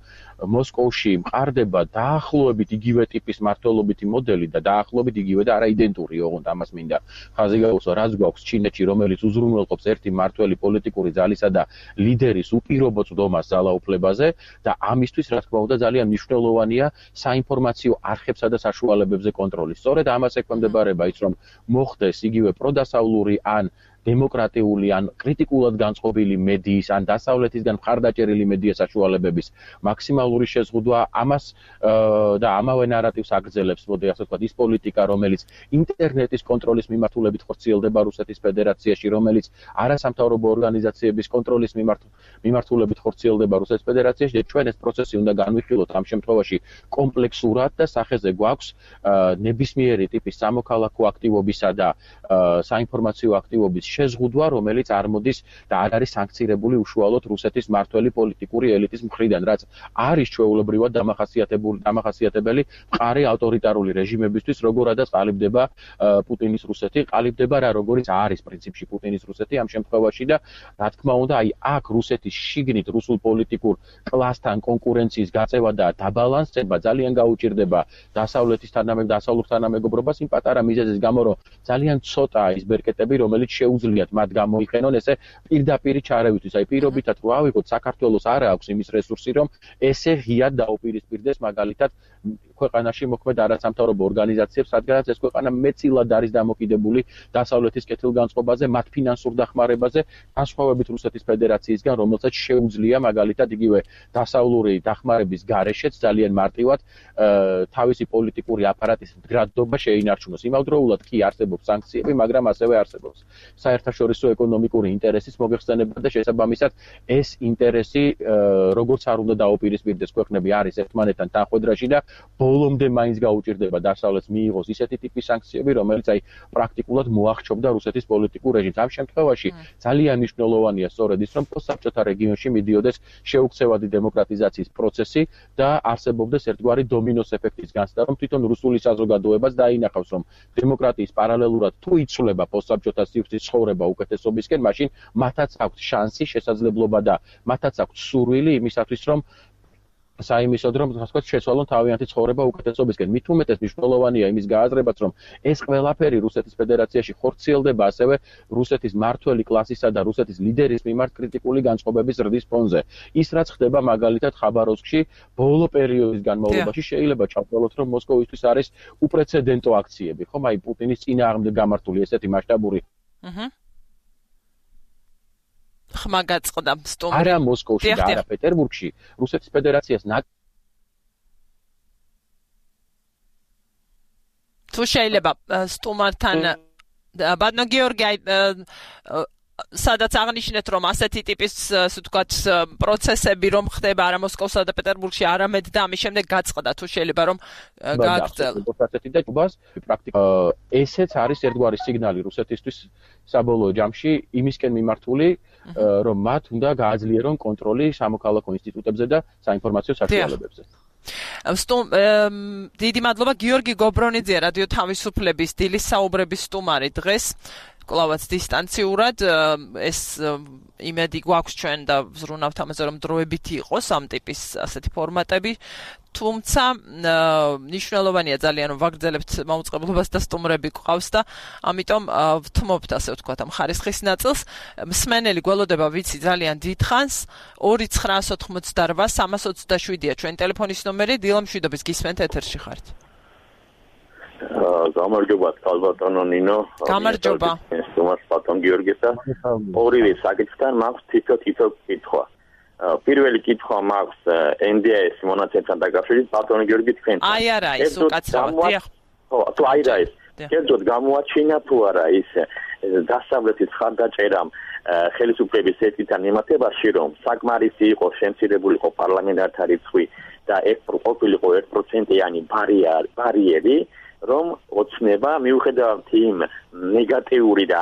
მოსკოვში მყარდება დაახლოებით იგივე ტიპის მმართველობითი მოდელი და დაახლოებით იგივე და არა იდენტური, ოღონდ ამას მინდა ხაზი გაუსვა, რაც გვაქვს ჩინეთში, რომელიც უზრუნველყოფს ერთი მმართველი პოლიტიკური ძალისა და ლიდერის უპირობო წვდომას ძალაუფლებაზე და ამისთვის, რა თქმა უნდა, ძალიან მნიშვნელოვანია საინფორმაციო არხებსა და საშუალებებზე კონტროლი. სწორედ ამას ექვემდებარება ის, რომ მოხდეს იგივე პროდასავლური ან დემოკრატიული ან კრიტიკულად განწყობილი მედიის ან დასავლეთისგან მხარდაჭერილი მედია საშუალებების მაქსიმალური შეზღუდვა, ამას და ამავე ნარატივს აგრძელებს, მოდი ასე ვთქვათ, ის პოლიტიკა, რომელიც ინტერნეტის კონტროლის მიმართულებით ხორციელდება რუსეთის ფედერაციაში, რომელიც არასამთავრობო ორგანიზაციების კონტროლის მიმართულებით ხორციელდება რუსეთის ფედერაციაში და ჩვენ ეს პროცესი უნდა განვიხილოთ ამ შემთხვევაში კომპლექსურად და სახეზე გვაქვს ნებისმიერი ტიპის სამოქალაქო აქტივობისა და საინფორმაციო აქტივობის შეზღუდვა, რომელიც არ მოდის და არ არის სანქცირებული უშუალოდ რუსეთის მმართველი პოლიტიკური ელიტის მხრიდან, რაც არის ჩვეულებრივად დამახასიათებელი მყარი ავტორიტარული რეჟიმებისთვის, როგორადაც ყალიბდება პუტინის რუსეთი, ყალიბდება რა როგორიც არის პრინციპში პუტინის რუსეთი ამ შემთხვევაში და რა თქმა უნდა, აი აქ რუსეთის შიგნით რუსულ პოლიტიკურ კლასთან კონკურენციის გაწევა და დაბალანსება ძალიან გაუჭირდება დასავლურ თანამეგობრობას იმ პატარა მიზეზის გამო, რომ ძალიან ცოტაა ის ბერკეტები, რომელიც შეუძლია შეუძლიათ მათ გამოიყენონ ესე პირდაპირი ჩარევისთვის. აი პირობითად რო ავიღოთ, საქართველოს არ აქვს იმის რესურსი, რომ ესე ღიად დაუპირისპირდეს მაგალითად ქვეყანაში მოქმედ არასამთავრობო ორგანიზაციებს, რადგანაც ეს ქვეყანა მეტწილად არის დამოკიდებული დასავლეთის კეთილგანწყობაზე, მათ ფინანსურ დახმარებაზე, განსხვავებით რუსეთის ფედერაციისგან, რომელსაც შეუძლია მაგალითად იგივე დასავლური დახმარების გარეშეც ძალიან მარტივად თავისი პოლიტიკური აპარატის მდგრადობა შეინარჩუნოს. იმავდროულად კი არსებობს სანქციები, მაგრამ ასევე არსებობს საერთაშორისო ეკონომიკური ინტერესის მოგეხსენება და შესაბამისად ეს ინტერესი როგორც არ უნდა დაუპირისპირდეს ქვეყნები არის ერთმანეთთან თანხვედრაში და ბოლომდე მაინც გაუჭირდება დასავლეთს მიიღოს ისეთი ტიპის სანქციები, რომელიც აი პრაქტიკულად მოახჩობდა რუსეთის პოლიტიკურ რეჟიმს. ამ შემთხვევაში ძალიან მნიშვნელოვანია სწორედ ის, რომ პოსტსაბჭოთა რეგიონში მიდიოდეს შეუქცევადი დემოკრატიზაციის პროცესი და არსებობდეს ერთგვარი დომინოს ეფექტის განცდა, რომ თვითონ რუსული საზოგადოებას დაინახავს, რომ დემოკრატიის პარალელურად თუ იცვლება პოსტსაბჭოთა სივრცის ცხოვრება უკეთესობისკენ, მაშინ მათაც აქვს შანსი, შესაძლებლობა და მათაც აქვს სურვილი იმისათვის, რომ საიმისოდ რომ ასე ვთქვათ შეცვალონ თავიანთი ცხოვრება უკეთესობისკენ. მით უმეტეს მნიშვნელოვანია იმის გააზრებაც, რომ ეს ყველაფერი რუსეთის ფედერაციაში ხორციელდება ასევე რუსეთის მმართველი კლასისა და რუსეთის ლიდერის მიმართ კრიტიკული განწყობების ზრდის ფონზე. ის რაც ხდება მაგალითად ხაბაროვსკში ბოლო პერიოდის განმავლობაში შეიძლება ჩავთვალოთ, რომ მოსკოვისთვის არის უპრეცედენტო აქციები, ხომ? აი პუტინის წინააღმდეგ გამართული ესეთი მასშტაბური ხმა გაწყდა სტუმრი. არა მოსკოვში და არა პეტერბურგში, რუსეთის ფედერაციას თუ შეიძლება სტუმართან ბატონო გიორგი სადაც აღნიშნეთ, რომ ასეთი ტიპის, ასე ვთქვათ, პროცესები რომ ხდება არა მოსკოვსა და პეტერბურგში, არამედ და ამის შემდეგ გაწყდა, თუ შეიძლება რომ გააგრძელოთ. ასეთი და ჯუბას პრაქტიკულად ესეც არის ერთგვარი სიგნალი რუსეთისთვის საბოლოო ჯამში იმისკენ მიმართული, რომ მათ უნდა გააძლიერონ კონტროლი სამოქალაქო ინსტიტუტებზე და საინფორმაციო საშუალებებზე. დიდი მადლობა გიორგი გობრონიძე, რადიო თავისუფლების დილის საუბრების სტუმარი დღეს. კლავაც დისტანციურად ეს იმედი გვაქვს ჩვენ და ვზრუნავთ ამაზე, რომ დროებითი იყოს ამ ტიპის ასეთი ფორმატები, თუმცა მნიშვნელოვანია ძალიან რომ ვაგრძელებთ მაუწყებლობას და სტუმრები გვყავს და ამიტომ ვთმობთ ასე ვთქვათ ამ ხარისხის ნაწილს. მსმენელი გველოდება ვიცი ძალიან დიდხანს 2988-327-ია ჩვენ ტელეფონის ნომერი. დილა მშვიდობის, გისმენთ ეთერში ხართ. გამარჯობა თალბატონო ნინო. გამარჯობა. სტუმარს ბატონ გიორგისა. ორივე საკითხთან მაქვს თითო კითხვა. პირველი კითხვა მაქვს NDIS მონაცემთან დაკავშირებით ბატონო გიორგი თქვენ. აი არა ის უკაცრავად. ხო, თუ აი რა ის. კერძოდ გამოაჩინა თუ არა ის დასავლეთის ხარდაჭერამ ხელისუფლების ერთთან მიმართებაში, რომ საკმარისი იყო შემცირებული იყო პარლამენტართა რიცხვი და ყოფილიყო 1%-იანი ბარიერი, რომ ოცნება მიუხედავად იმ ნეგატიური და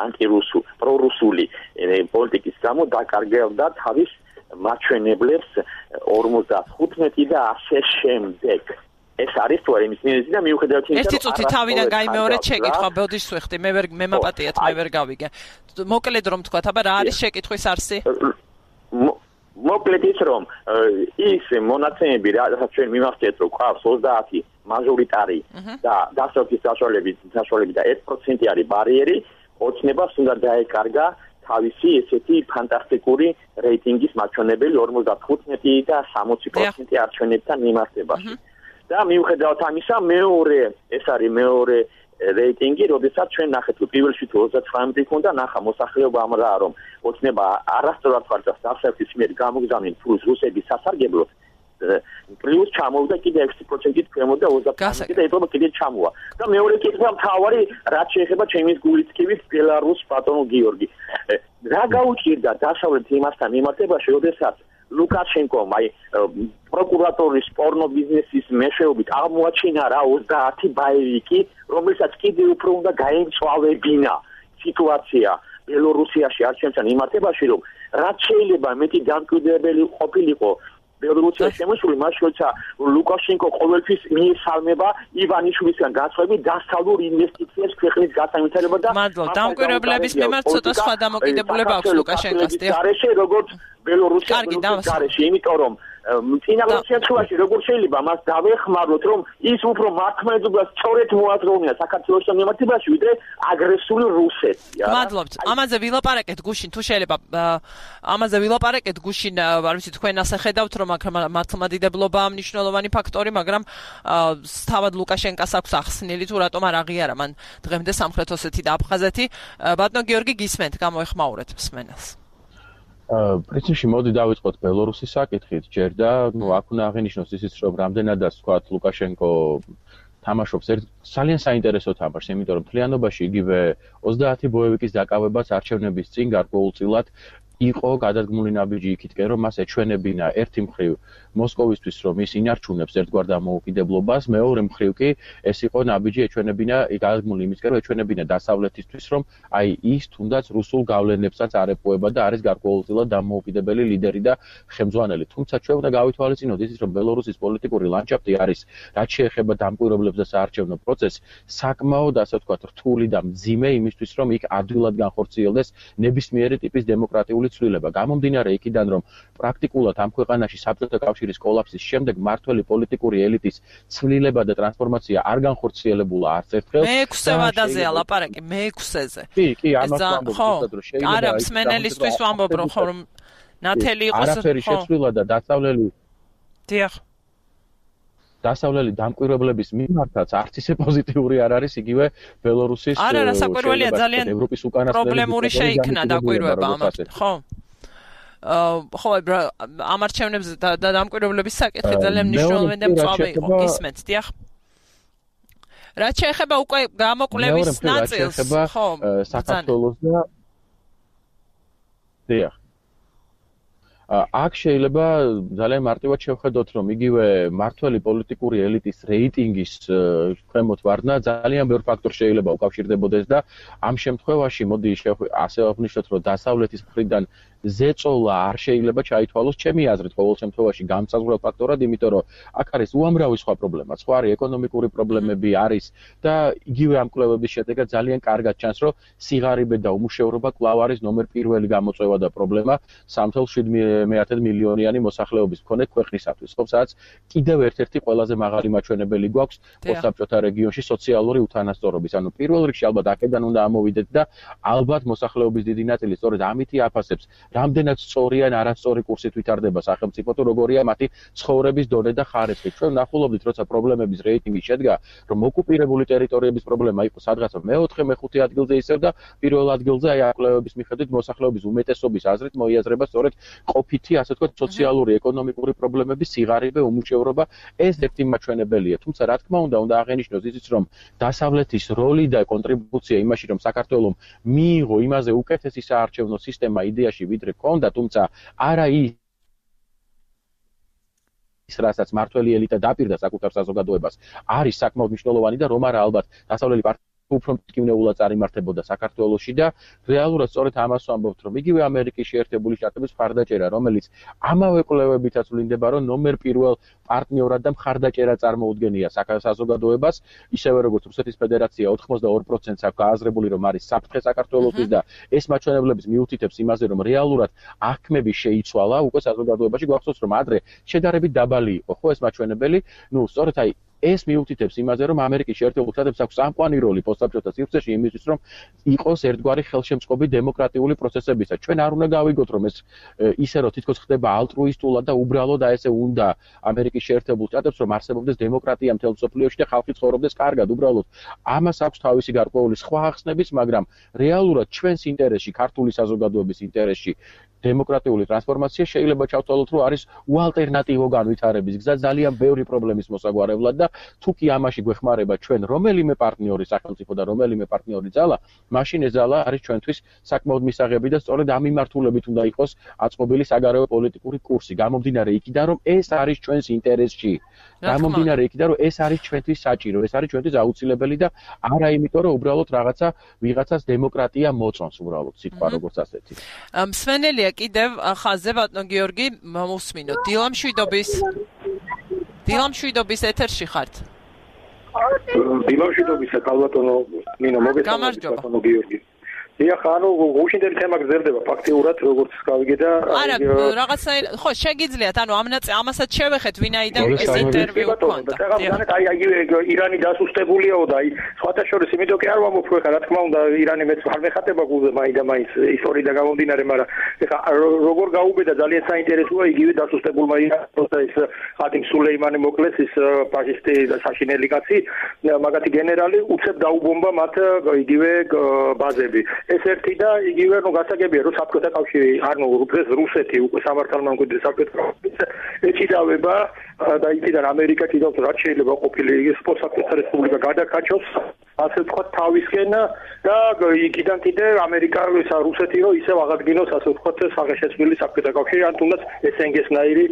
პრორუსული პოლიტიკის გამო დაკარგავდა თავის მაჩვენებლებს 55 და ასე შემდეგ. ეს არის თუ არა იმის მინიჭი და მიუხედავად იმისა, ერთი წუთი თავიდან გაიმეორეთ შეკითხვა, ბოდიშ ვეხდი, მე მაპატიეთ, მე ვერ გავიგე. მოკლედ რომ თქვა, აბა რა არის შეკითხვის არსი? მოკლედ ის რომ ის მონაცემები რაც ჩვენ მიმართეთ, რომ ყავს 30 მაჟორიტარი და დასავლეთის საშუალებით და 1% არის ბარიერი, ოცნებას უნდა დაეკარგა თავისი ესეთი ფანტასტიკური რეიტინგის მაჩვენებელი 55 და 60% არჩევნებთან მიმართებაში. და მიუხედავად ამისა, ეს არის მეორე რეიტინგი, როდესაც ჩვენ ნახეთ, რომ პირველში თუ 39 ქონდა, ნახა მოსახლეობა ამ რა, რომ ოცნება არასწორად ხარჯავს დასავლეთის მიერ გამოგზავნილ ფულს რუსების სასარგებლოდ, პლუს ჩამოვიდა კიდე 6%-ით ქვემოთ და 25% და ეტყობა კიდე ჩამოვა. და მეორე კითხვა მთავარი, რაც შეეხება ჩემის გულისხმით ბელარუსს ბატონო გიორგი. რა გაუჭირდა დასავლეთ იმასთან მიმართებაში, როდესაც ლუკაშენკომ აი პროკურატურის პორნო ბიზნესის მეშვეობით აღმოაჩინა რა 30 ბაევიკი, რომელსაც კიდევ უფრო უნდა გაემწვავებინა სიტუაცია ბელორუსიაში არჩევნებთან მიმართებაში, რომ რაც შეიძლება მეტი დამკვიდრებელი ყოფილიყო ბელორუსიაში შემოსული, მას როცა ლუკაშენკო ყოველთვის მიესალმება ივანიშვილისგან გასხვები დასავლურ ინვესტიციებს ქვეყნის გასაინტერესებლად და მადლობა. დამკვირვებლების მიმართ ცოტა სხვა დამოკიდებულება აქვს ლუკაშენკოს. გარეშე როგორც ბელორუსიაში, იმიტომ რომ წინა შემთხვევაში როგორ შეიძლება მას დავეხმაროთ, რომ ის უფრო მართლმადიდებლად სწორედ მოაზროვნია საქართველოს მიმართებაში, ვიდრე აგრესიული რუსეთია. მადლობთ. ამაზე ვილაპარაკეთ გუშინ, თუ შეიძლება ამაზე ვილაპარაკეთ გუშინ, არ ვიცი თქვენ ასე ხედავთ, რომ მართლმადიდებლობაა მნიშვნელოვანი ფაქტორი, მაგრამ თავად ლუკაშენკას აქვს ახსნილი თუ რატომ არ აღიარა მან დღემდე სამხრეთ ოსეთი და აფხაზეთი. ბატონო გიორგი გისმენთ, გამოეხმაურეთ მსმენელს. პრინციპში მოდი დავიწყოთ ბელორუსის საკითხით ჯერ და აქ უნდა აღინიშნოს ისიც რომ რამდენადაც თქვათ ლუკაშენკო თამაშობს ძალიან საინტერესო თამაშს, იმიტომ რომ მთლიანობაში იგივე 30 ბოევიკის დაკავებას არჩევნების წინ გარკვეულწილად იყო გადადგმული ნაბიჯი იქითკენ, რომ მას ეჩვენებინა ერთი მხრივ მოსკოვისთვის, რომ ის ინარჩუნებს ერთგვარ დამოუკიდებლობას, მეორე მხრივ კი ეს იყო ნაბიჯი ეჩვენებინა გადადგმული იმისკენ, რომ ეჩვენებინა დასავლეთისთვის, რომ აი ის თუნდაც რუსულ გავლენებსაც არ ეპოება და არის გარკვეულწილად დამოუკიდებელი ლიდერი და ხელმძღვანელი. თუმცა ჩვენ უნდა გავითვალისწინოთ ისიც, რომ ბელორუსის პოლიტიკური ლანდშაფტი არის, რაც შეეხება დამკვირვებლებს და საარჩევნო პროცესს, საკმაოდ ასე ვთქვათ, რთული და მძიმე იმისთვის, რომ იქ ადვილად განხორციელდეს ნებისმიერი ტიპის დემოკრატიული ცვლილება. გამომდინარე იქიდან, რომ პრაქტიკულად ამ ქვეყანაში საბჭოთა კავშირის კოლაფსის შემდეგ მმართველი პოლიტიკური ელიტის ცვლილება და ტრანსფორმაცია არ განხორციელებულა არც ერთხელ. მე-6 ვადაზეა ლაპარაკი, მე-6-ზე. კი, ამას ვამბობ, რომ შეიძლება არა, მსმენელისთვის ვამბობ, რომ ნათელი იყოს. არაფერი შეცვლილა და დასავლელი დიახ. დასავლელი დამკვირვებლების მიმართაც არც ისე პოზიტიური არ არის იგივე ბელორუსის არა, საკვირველია ძალიან ევროპის უკანასკნელი პრობლემური შეიქმნა დაკვირვება ამათ, ხო? ხო, ამ არჩევნებზე და დამკვირვებლების საკითხი ძალიან მნიშვნელოვანი და მწვავე იყო, გისმენთ, დიახ. რაც შეეხება უკვე გამოკვლევის ნაწილს, ხო, საქართველოს და დიახ. აქ შეიძლება ძალიან მარტივად შევხედოთ, რომ იგივე მმართველი პოლიტიკური ელიტის რეიტინგის ქვემოთ ვარდნა ძალიან ბევრ ფაქტორს შეიძლება უკავშირდებოდეს და ამ შემთხვევაში მოდი ასე ვაღნიშნოთ, რომ დასავლეთის მხრიდან ზეწოლა არ შეიძლება ჩაითვალოს ჩემი აზრით ყოველ შემთხვევაში გამსაზღვრელ ფაქტორად, იმიტომ რომ აქ არის უამრავი სხვა პრობლემა, სხვა არის ეკონომიკური პრობლემები არის და იგივე ამ კვლევების შედეგად ძალიან კარგად ჩანს, რომ სიღარიბე და უმუშევრობა კვლავ არის ნომერ პირველი გამოწვევა და პრობლემა 3.7 მილიონიანი მოსახლეობის მქონე ქვეყნისათვის, ხო, სადაც კიდევ ერთ-ერთი ყველაზე მაღალი მაჩვენებელი გვაქვს პოსტსაბჭოთა რეგიონში სოციალური უთანასწორობის. ანუ პირველ რიგში ალბათ აქედან უნდა ამოვიდეთ და ალბათ მოსახლეობის დიდი ნაწილი სწორედ ამითი აფასებს რამდენად სწორი ან არასწორი კურსით ვითარდება სახელმწიფო თუ როგორია მათი ცხოვრების დონე და ხარისხი. ჩვენ ვნახულობდით, როცა პრობლემების რეიტინგი შედგა, რომ ოკუპირებული ტერიტორიების პრობლემა იყო სადღაც მე-4-მე-5 ადგილზე ისევ და პირველ ადგილზე აი კვლევების მიხედვით მოსახლეობის უმეტესობის აზრით მოიაზრება სწორედ ყოფითი, ასე ვთქვათ, სოციალური, ეკონომიკური პრობლემები, სიღარიბე, უმუშევრობა, ეს ერთი მაჩვენებელია. თუმცა რა თქმა უნდა აღენიშნოს ისიც, რომ დასავლეთის როლი და კონტრიბუცია იმაში, რომ საქართველოს მიიღო იმაზე უკეთესი საარჩევნო სისტემა იდეაში ვიდრე ქონდა, თუმცა არა ის რასაც მმართველი ელიტა დაპირდა საკუთარ საზოგადოებას, არის საკმაოდ მნიშვნელოვანი და რომ არა ალბათ დასავლელი პარტია უფრო მტკივნეულად წარიმართებოდა საქართველოში და რეალურად სწორედ ამას ვამბობთ, რომ იგივე ამერიკის შეერთებული შტატების მხარდაჭერა, რომელიც ამავე კვლევებითაც ვლინდება, რომ ნომერ პირველ პარტნიორად და მხარდაჭერა წარმოუდგენია საზოგადოებას, ისევე როგორც რუსეთის ფედერაცია 82%-ს აქვს გააზრებული, რომ არის საფრთხე საქართველოსთვის და ეს მაჩვენებლების მიუთითებს იმაზე, რომ რეალურად აღქმები შეიცვალა უკვე საზოგადოებაში. გვახსოვს, რომ ადრე შედარებით დაბალი იყო, ხო, ეს მაჩვენებელი, სწორედ აი ეს მიუთითებს იმაზე, რომ ამერიკის შეერთებულ შტატებს აქვს წამყვანი როლი პოსტსაბჭოთა სივრცეში იმისთვის, რომ იყოს ერთგვარი ხელშემწყობი დემოკრატიული პროცესებისა. ჩვენ არ უნდა გავიგოთ, რომ ეს ისე რომ თითქოს ხდება ალტრუისტულად და უბრალოდ და ესე უნდა ამერიკის შეერთებულ შტატებს, რომ არსებობდეს დემოკრატია მთელ მსოფლიოში და ხალხი ცხოვრობდეს კარგად. უბრალოდ ამას აქვს თავისი გარკვეული სხვა ახსნებიც, მაგრამ რეალურად ჩვენს ინტერესში, ქართული საზოგადოების ინტერესში დემოკრატიული ტრანსფორმაცია შეიძლება ჩავთვალოთ, რომ არის უალტერნატივო განვითარების გზა ძალიან ბევრი პრობლემის მოსაგვარებლად და თუ კი ამაში გვეხმარება ჩვენ რომელიმე პარტნიორი სახელმწიფო და რომელიმე პარტნიორი ძალა, მაშინ ეს ძალა არის ჩვენთვის საკმაოდ მისაღები და სწორედ ამ მიმართულებით უნდა იყოს აწყობილი საგარეო პოლიტიკური კურსი. გამომდინარე იქიდან, რომ ეს არის ჩვენს ინტერესში. გამომდინარე იქიდან, რომ ეს არის ჩვენთვის საჭირო, ეს არის ჩვენთვის აუცილებელი და არა იმიტომ, რომ უბრალოდ ვიღაცას დემოკრატია მოწონს უბრალოდ სიტყვა როგორც ასეთი. მსმენელია კიდევ ხაზზე ბატონო გიორგი, მოსმინოთ. დილამშვიდობის ეთერში ხართ. დილამშვიდობის კალბატონო ნინო მოგესალმებით ბატონო გიორგი. ეხლა ანუ გუშინდელი თემა გრძელდება ფაქტიურად როგორც გავიგე და არა რაღაცნაირად ხო შეგიძლიათ ანუ ამასაც შევეხეთ ვინაიდან ეს ინტერვიუ გქონდა ირანი დასუსტებულიაო და სხვათა შორის იმიტომ კი არ ვამბობ ხო ეხლა რა თქმა უნდა ირანი მეც არ მეხატება გულზე მაინდა-მაინც ისტორიიდან გამომდინარე მაგრამ ეხლა როგორ გაუბედა ძალიან საინტერესოა იგივე დასუსტებულმა ირანს ეს ხატიმ სულეიმანი მოკლეს ის ფაშისტი და საშინელი კაცი მაგათი გენერალი უცებ დაუბომბა მათ იგივე ბაზები ეს ერთი და იგივე ნუ გასაგებია რომ საბჭოთა კავშირი ანუ დღეს რუსეთი უკვე სამართალმამკვიდრე საბჭოთა კავშირი ეჭიდავება და იქიდან ამერიკა კიდევ რაც შეიძლება ყოფილი პოსტსაბჭოთა რესპუბლიკა გადაკაჩოს ასე ვთქვათ თავისკენ და იქიდან კიდე ამერიკა რუსეთი რომ ისევ აღადგინოს ასე ვთქვათ საღეშეცვლილი საბჭოთა კავშირი ან თუნდაც ესენგესნაირი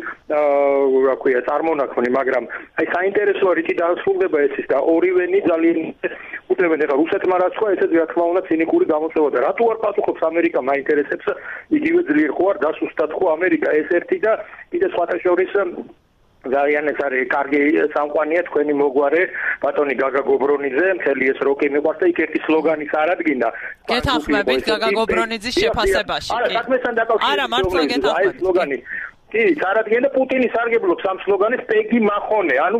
რა ქვია წარმონაქმნი მაგრამ აი საინტერესოა რითი დასრულდება ეს ის და ორივენი ძალიან უტევენ ეხლა რუსეთმა რაც თქვა ესეც რა თქმა უნდა ცინიკური გამოწვევა და რატო არ პასუხობს ამერიკა მაინტერესებს იგივე ძლიერ ხო არ დასუსტად ხო ამერიკა ეს ერთი და კიდე სხვათა შორის ძალიან ეს არის კარგი სამყაროა თქვენი მოგვარე ბატონი გაგა გობრონიძე მთელი ეს როკი მიყვარს და იქ ერთი სლოგანი წარადგინა გეთანხმებით გაგა გობრონიძის შეფასებაში არა საქმესთან დაკავშირებით არა მართლა გეთანხმებით აი სლოგანი კი წარადგინა და პუტინი სარგებლობს ამ სლოგანით პეგი მახონე ანუ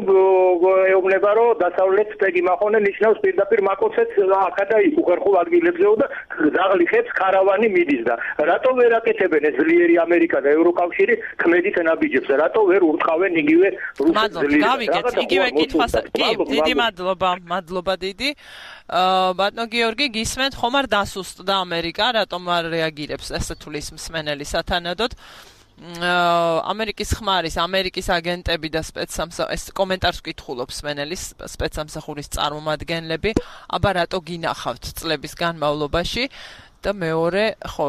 ეუბნება რომ დასავლეთს პეგი მახონე ნიშნავს პირდაპირ მაკოცეთს აქა და იქ უხერხულ ადგილებზეო და ზაღლიხებს ქარავანი მიდის და რატო ვერ აკეთებენ ეს ძლიერი ამერიკა და ევროკავშირი ქმედით ნაბიჯებს და რატო ვერ ურტყავენ იგივე რუსეთს ძლიერი გავიგეთ იგივე კითხვას კი დიდი მადლობა დიდი ბატონო გიორგი გისმენთ ხომ არ დასუსტდა ამერიკა რატომ არ რეაგირებს ესე თulis მსმენელი სათანადოდ ამერიკის ხმარის ამერიკის აგენტები და ეს კომენტარს ვკითხულობს მსმენელის სპეცსამსახურის წარმომადგენლები აბა რატო გინახავთ წლების განმავლობაში და მეორე ხო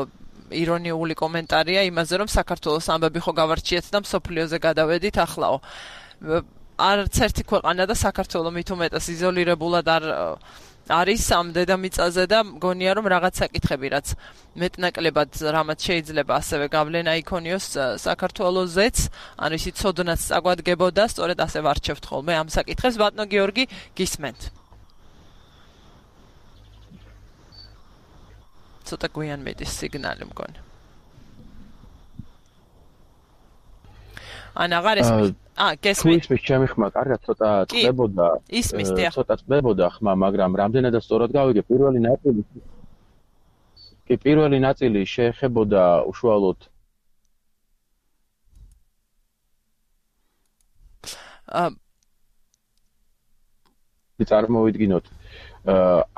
ირონიული კომენტარია იმაზე რომ საქართველოს ამბები ხო გავარჩიეთ და მსოფლიოზე გადავედითახლაო არც ერთი ქვეყანა და საქართველოს მით უმეტეს იზოლირებულად არის ამ დედამიწაზე და მგონია რომ რაღაც საკითხები რაც მეტნაკლებად რამაც შეიძლება ასევე გავლენა იქონიოს საქართველოსზეც ანუ ისიც ცოდნაც წაგვადგებოდა სწორედ ასე ვარჩევთ ხოლმე ამ საკითხებს ბატონო გიორგი გისმენთ ცოტა გვიან მედის სიგნალი მგონი ან აღარ ესმის გესმით ის ჩემი ხმა კარგად ცოტა წდებოდა ცოტა წდებოდა ხმა მაგრამ რამდენადაც სწორად გავიგე პირველი ნაწილი შეეხებოდა უშუალოდ წარმოვიდგინოთ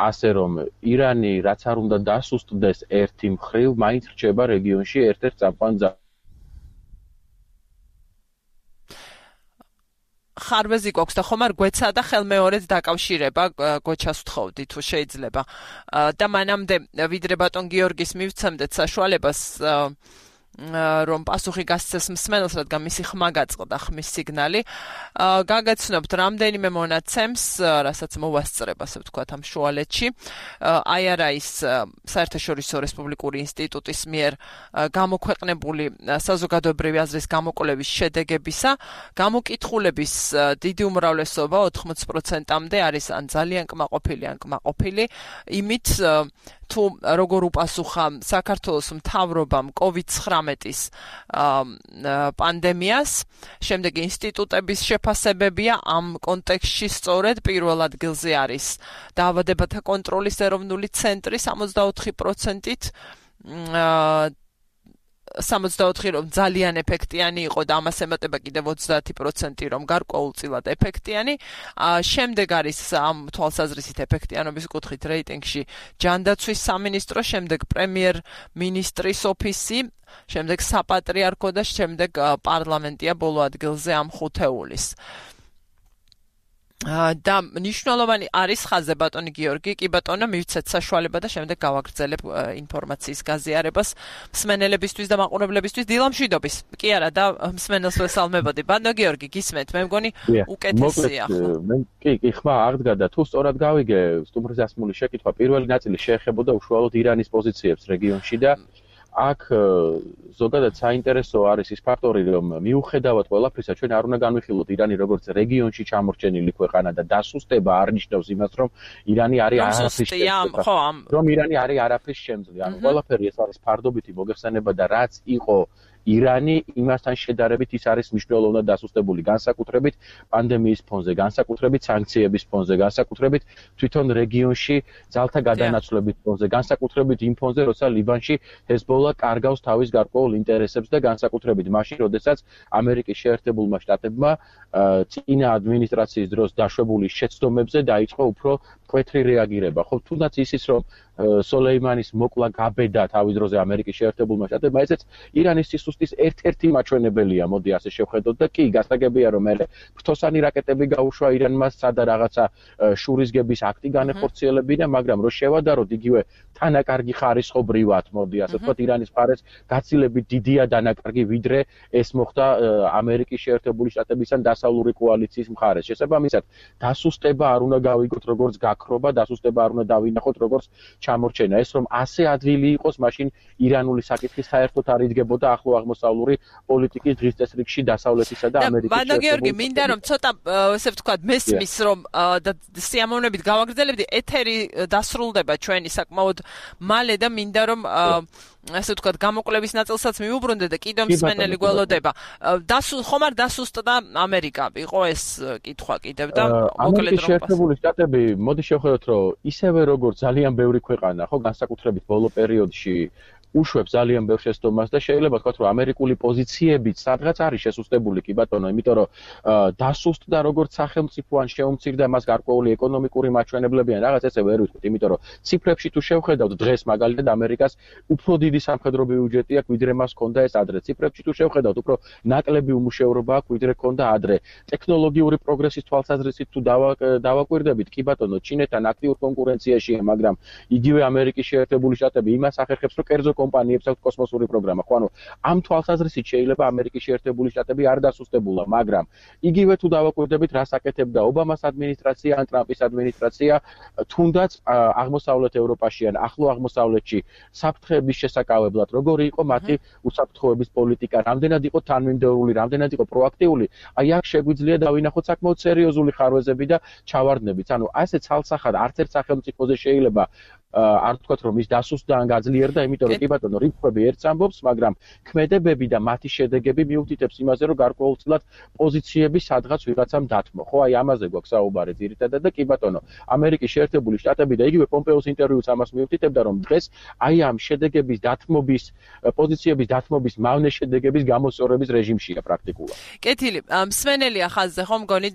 ასე რომ ირანი რაც არ უნდა დასუსტდეს ერთი მხრივ მაინც რჩება რეგიონში ერთ-ერთ წამყვან ხარბეზი გვაქვს და ხომ არ გვეცა და ხელმეორედ დაკავშირება გოჩას ვთხოვდი თუ შეიძლება და მანამდე ვიდრე ბატონ გიორგის მივცემდეთ საშუალებას რომ პასუხი გასცეს მსმენელს, რადგან მისი ხმა გაწყდა, ხმის სიგნალი. გაგაცნობთ რამდენიმე მონაცემს, რასაც მოვასწრებ, ასე ვთქვათ, ამ შუალეთში. IRI-ის საერთაშორისო რესპუბლიკური ინსტიტუტის მიერ გამოქვეყნებული საზოგადოებრივი აზრის გამოკვლევის შედეგებისა, გამოკითხულების დიდი უმრავლესობა 80%-მდე არის ან ძალიან კმაყოფილი, ან კმაყოფილი, იმით თუ როგორ უპასუხა საქართველოს მთავრობამ COVID-19-ის პანდემიას, შემდეგ ინსტიტუტების შეფასებებია ამ კონტექსტში სწორედ პირველ ადგილზე არის დაავადებათა კონტროლის ეროვნული ცენტრი 64%-ით 64 რომ ძალიან ეფექტიანი იყო და ამას ემატება კიდევ 30% რომ გარკვეულწილად ეფექტიანი. შემდეგ არის ამ თვალსაზრისით ეფექტიანობის კუთხით რეიტინგში ჯანდაცვის სამინისტრო, შემდეგ პრემიერ-მინისტრის ოფისი, შემდეგ საპატრიარქო და შემდეგ პარლამენტია ბოლო ადგილზე ამ ხუთეულის. და მნიშვნელოვანი არის ხაზზე ბატონი გიორგი, კი ბატონო მივცეთ საშუალება და შემდეგ გავაგრძელებ ინფორმაციის გაზიარებას მსმენელებისთვის და მაყურებლებისთვის დილამშვიდობის. კი არა და მსმენელს ვესალმებოდი. ბატონო გიორგი, გისმენთ, მე მგონი უკეთესია ხო? კი, ხმა აღდგა და თუ სწორად გავიგე სტუმრზე ასმული შეკითხვა, პირველი ნაწილი შეეხებოდა უშუალოდ ირანის პოზიციებს რეგიონში და აქ ზოგადად საინტერესო არის ის ფაქტორი, რომ მიუხედავად ყველაფრისა, ჩვენ არ უნდა განვიხილოთ ირანი როგორც რეგიონში ჩამორჩენილი ქვეყანა და დასუსტება არ ნიშნავს იმას, რომ ირანი არის არაფრის შემძლე. რომ ირანი არის არაფრის შემძლე. ანუ ყველაფერი ეს არის ფარდობითი მოგეხსენება და რაც იყო ირანი იმასთან შედარებით ის არის მნიშვნელოვნად დასუსტებული განსაკუთრებით პანდემიის ფონზე, განსაკუთრებით სანქციების ფონზე, განსაკუთრებით თვითონ რეგიონში ძალთა გადანაცვლების ფონზე, განსაკუთრებით იმ ფონზე, როცა ლიბანში ჰეზბოლა კარგავს თავის გარკვეულ ინტერესებს და განსაკუთრებით მაშინ, როდესაც ამერიკის შეერთებულმა შტატებმა წინა ადმინისტრაციის დროს დაშვებული შეცდომებზე დაიწყო უფრო მკვეთრი რეაგირება. ხო, თუნდაც ისიც რომ სოლეიმანის მოკლა გაბედა თავის დროზე ამერიკის შეერთებულმა შტატებმა, ესეც ირანის სისუსტის ერთ-ერთი მაჩვენებელია, მოდი ასე შევხედოთ და კი, გასაგებია რომ მე ფრთოსანი რაკეტები გაუშვა ირანმა სადა რაღაცა შურისგების აქტი განეხორციელებინა, მაგრამ რო შევადაროთ იგივე თანაკარგი ხარისხობრივად, მოდი ასე ვთქვათ, ირანის მხარეს გაცილებით დიდია დანაკარგი, ვიდრე ეს მოხდა ამერიკის შეერთებული შტატებისგან დასავლური კოალიციის მხარეს. შესაბამისად, დასუსტება არ უნდა გავიგოთ როგორც გაქრობა, დასუსტება არ უნდა დავინახოთ როგორც ჩამორჩენა. ეს რომ ასე ადვილი იყოს, მაშინ ირანული საკითხი საერთოდ არ იდგებოდა ახლო აღმოსავლური პოლიტიკის დღის წესრიგში დასავლეთისა და ამერიკის შეერთებული. გიორგი, მინდა რომ ცოტა ესე ვთქვათ, მესმის რომ და სიამოვნებით გავაგრძელებდი, ეთერი დასრულდება ჩვენი საკმაოდ მალე და მინდა რომ ასე ვთქვათ, გამოკვლევის ნაწილსაც მიუბრუნდე და კიდევ მსმენელი გველოდება. ხომ არ დასუსტდა ამერიკა? იყო ეს კითხვა კიდევ და მოკლედ რომ შეერთებული შტატები, მოდი შევხედოთ, რომ ისევე როგორც ძალიან ბევრი ქვეყანა, ხო, განსაკუთრებით ბოლო პერიოდში უშვებს ძალიან ბევრ შეცდომას და შეიძლება ვთქვათ, რომ ამერიკული პოზიციებიც სადღაც არის შესუსტებული, კი ბატონო, იმიტომ რომ დასუსტდა როგორც სახელმწიფო ან შეუმცირდა მას გარკვეული ეკონომიკური მაჩვენებლები ან რაღაც ესე ვერ ვიტყვით, იმიტომ რომ ციფრებში თუ შევხედავთ დღეს მაგალითად ამერიკას უფრო დიდი სამხედრო ბიუჯეტი აქვს, ვიდრე მას ჰქონდა ეს ადრე. ციფრებში თუ შევხედავთ, უფრო ნაკლები უმუშევრობა აქვს, ვიდრე ჰქონდა ადრე. ტექნოლოგიური პროგრესის თვალსაზრისით თუ დავაკვირდებით, კი ბატონო, ჩინეთთან აქტიურ კონკურენციაშია, მაგრამ იგივე ამერიკის შეერთებული შტატები იმას ახერხებს, რომ კერძო კომპანიებს აქვს კოსმოსური პროგრამა. ხო, ანუ ამ თვალსაზრისით შეიძლება ამერიკის შეერთებული შტატები არ დასუსტებულა, მაგრამ იგივე თუ დავაკვირდებით, რას აკეთებდა ობამას ადმინისტრაცია ან ტრამპის ადმინისტრაცია, თუნდაც აღმოსავლეთ ევროპაში ან ახლო აღმოსავლეთში საფრთხეების შესაკავებლად, როგორი იყო მათი უსაფრთხოების პოლიტიკა, რამდენად იყო თანმიმდევრული, რამდენად იყო პროაქტიული, აი აქ შეგვიძლია დავინახოთ საკმაოდ სერიოზული ხარვეზები და ჩავარდნებიც. ანუ ასე ცალსახად არც ერთ სახელმწიფოზე შეიძლება არ თქვათ რომ ის დასუსტდა ან გაძლიერდა, იმიტომ რომ კი ბატონო, რიცხვები ერთს ამბობს, მაგრამ ქმედებები და მათი შედეგები მიუთითებს იმაზე, რომ გარკვეულწილად პოზიციები სადღაც ვიღაცამ დათმო. ხო, აი ამაზე გვაქვს საუბარი ძირითადად და კი ბატონო, ამერიკის შეერთებული შტატები და იგივე პომპეოს ინტერვიუც ამას მიუთითებდა, რომ დღეს აი ამ შედეგების დათმობის, პოზიციების დათმობის მავნე შედეგების გამოსწორების რეჟიმშია პრაქტიკულად. კეთილი, მსმენელი ახალზე ხომ მგონი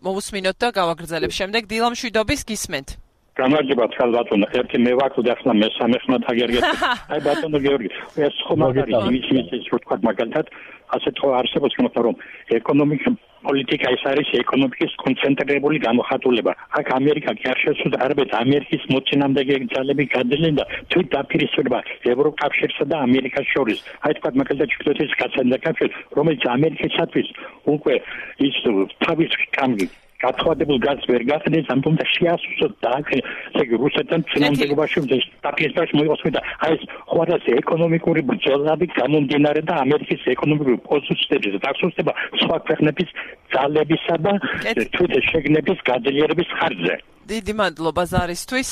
მოусმინოთ და გავაგრძელებ შემდეგ დილამშვიდობის გისმენთ. გამარჯობა ბატონო, ერთი მე ვაქვს და ახლა მესამე ხმად აგერგეთ. აი ბატონო გიორგი, ეს ხომ არის იმის ვთქვათ მაგალითად, ასეთ ხო არსებობს თქმა რომ ეკონომიკა პოლიტიკა ის არის ეკონომიკის კონცენტრირებული გამოხატულება. აქ ამერიკა კი არ შესულა არაბეთ ამერიკის მოწინააღმდეგე ძალები გადადნენ და თვით დაპირისპირება ევროკავშირსა და ამერიკას შორის. აი თქვა მაგალითად ჩრდილოეთის კავშირი, რომელიც ამერიკისათვის უკვე ის თავის კამგი გათხოვებულ გაზს ვერ გახდეს, ამ თუმცა შეასუსტოთ და ესე იგი რუსეთთან წინამდებობაში დაპირისპირებას მოიყოს და აი ეს ხوارას ეკონომიკური ბრძოლები გამომდინარე და ამერიკის ეკონომიკური პოზიციების დასუსტება სხვა ქვეყნების ძალებისა და თვით შეგნების გაძლიერების ხარჯზე. დიდი მადლობა ზარისთვის.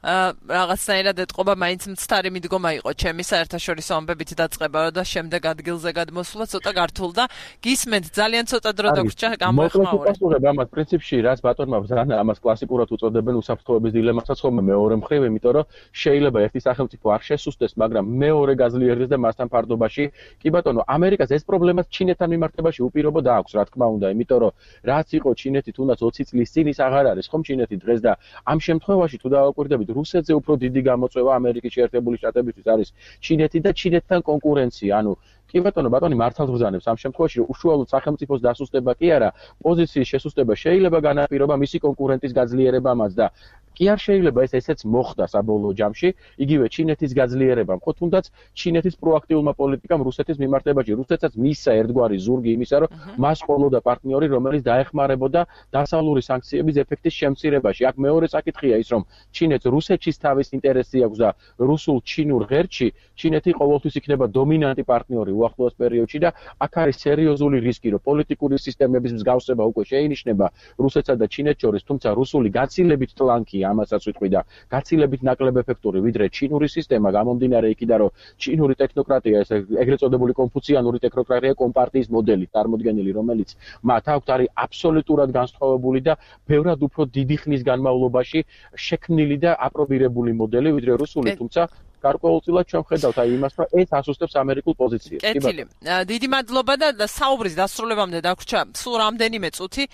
რაღაცნაირად ეთყობა მაინც მცდარი მიდგომა იყო ჩემი საერთაშორისო ამბებით დაწყება და შემდეგ ადგილზე გადმოსვლა ცოტა გართულ და გისმენთ ძალიან ცოტა დრო დაგვრჩა გამოეხმაურე. მოკლედ ამას პრინციპში რაც ბატონმა ბრძანა ამას კლასიკურად უწოდებენ უსაფრთხოების დილემასაც ხოლმე მეორე მხრივ, იმიტომ რომ შეიძლება ერთი სახელმწიფო არ შესუსტდეს, მაგრამ მეორე გაძლიერდეს და მასთან ფარდობაში კი ბატონო, ამერიკას ეს პრობლემაც ჩინეთთან მიმართებაში უპირობოდ აქვს, რა თქმა უნდა, იმიტომ რომ რაც იყო ჩინეთი თუნდაც 20 წლის წინ ის აღარ არის ხომ ჩინეთი დღეს და ამ შემთხვევაში თუ დავაკვირდებით რუსეთზე უფრო დიდი გამოწვევა ამერიკის შეერთებული შტატებისთვის არის ჩინეთი და ჩინეთთან კონკურენცია. ანუ კი ბატონი მართალ ვგზავნებს ამ შემთხვევაში რომ უშუალოდ სახელმწიფოს დასუსტება კი არა, პოზიციის შესუსტება შეიძლება განაპირობა მისი კონკურენტის გაძლიერებამაც და კი არ შეიძლება ესეც მოხდა საბოლოო ჯამში, იგივე ჩინეთის გაძლიერებამ, ხო თუნდაც ჩინეთის პროაქტიულმა პოლიტიკამ რუსეთის მიმართებაში, რუსეთსაც მისცა ერთგვარი ზურგი იმისა, რომ მას ყოლოდა პარტნიორი, რომელიც დაეხმარებოდა დასავლური სანქციების ეფექტის შემცირებაში. აქ მეორე საკითხია ის, რომ ჩინეთს რუსეთშიც თავის ინტერესი აქვს და რუსულ-ჩინურ ღერთში ჩინეთი ყოველთვის იქნება დომინანტი პარტნიორი უახლოეს პერიოდში და აქ არის სერიოზული რისკი, რომ პოლიტიკური სისტემების მსგავსება უკვე შეინიშნება რუსეთსა და ჩინეთს შორის, თუმცა რუსული გაცილებით ტლანკი ამასაც ვიტყვი და გაცილებით ნაკლებ ეფექტური ვიდრე ჩინური სისტემა გამომდინარე იქიდან რომ ჩინური ტექნოკრატია ეს ეგრეთ წოდებული კონფუციანური ტექნოკრატია კომპარტიის მოდელი წარმოდგენილი რომელიც მათ აქვთ არის აბსოლუტურად განსხვავებული და ბევრად უფრო დიდი ხნის განმავლობაში შექმნილი და აპრობირებული მოდელი ვიდრე რუსული თუმცა გარკვეულწილად ჩვენ ხედავთ აი იმას რომ ეს ასუსტებს ამერიკულ პოზიციას. კეთილი. დიდი მადლობა და საუბრის დასრულებამდე დაგვრჩა სულ რამდენიმე წუთი.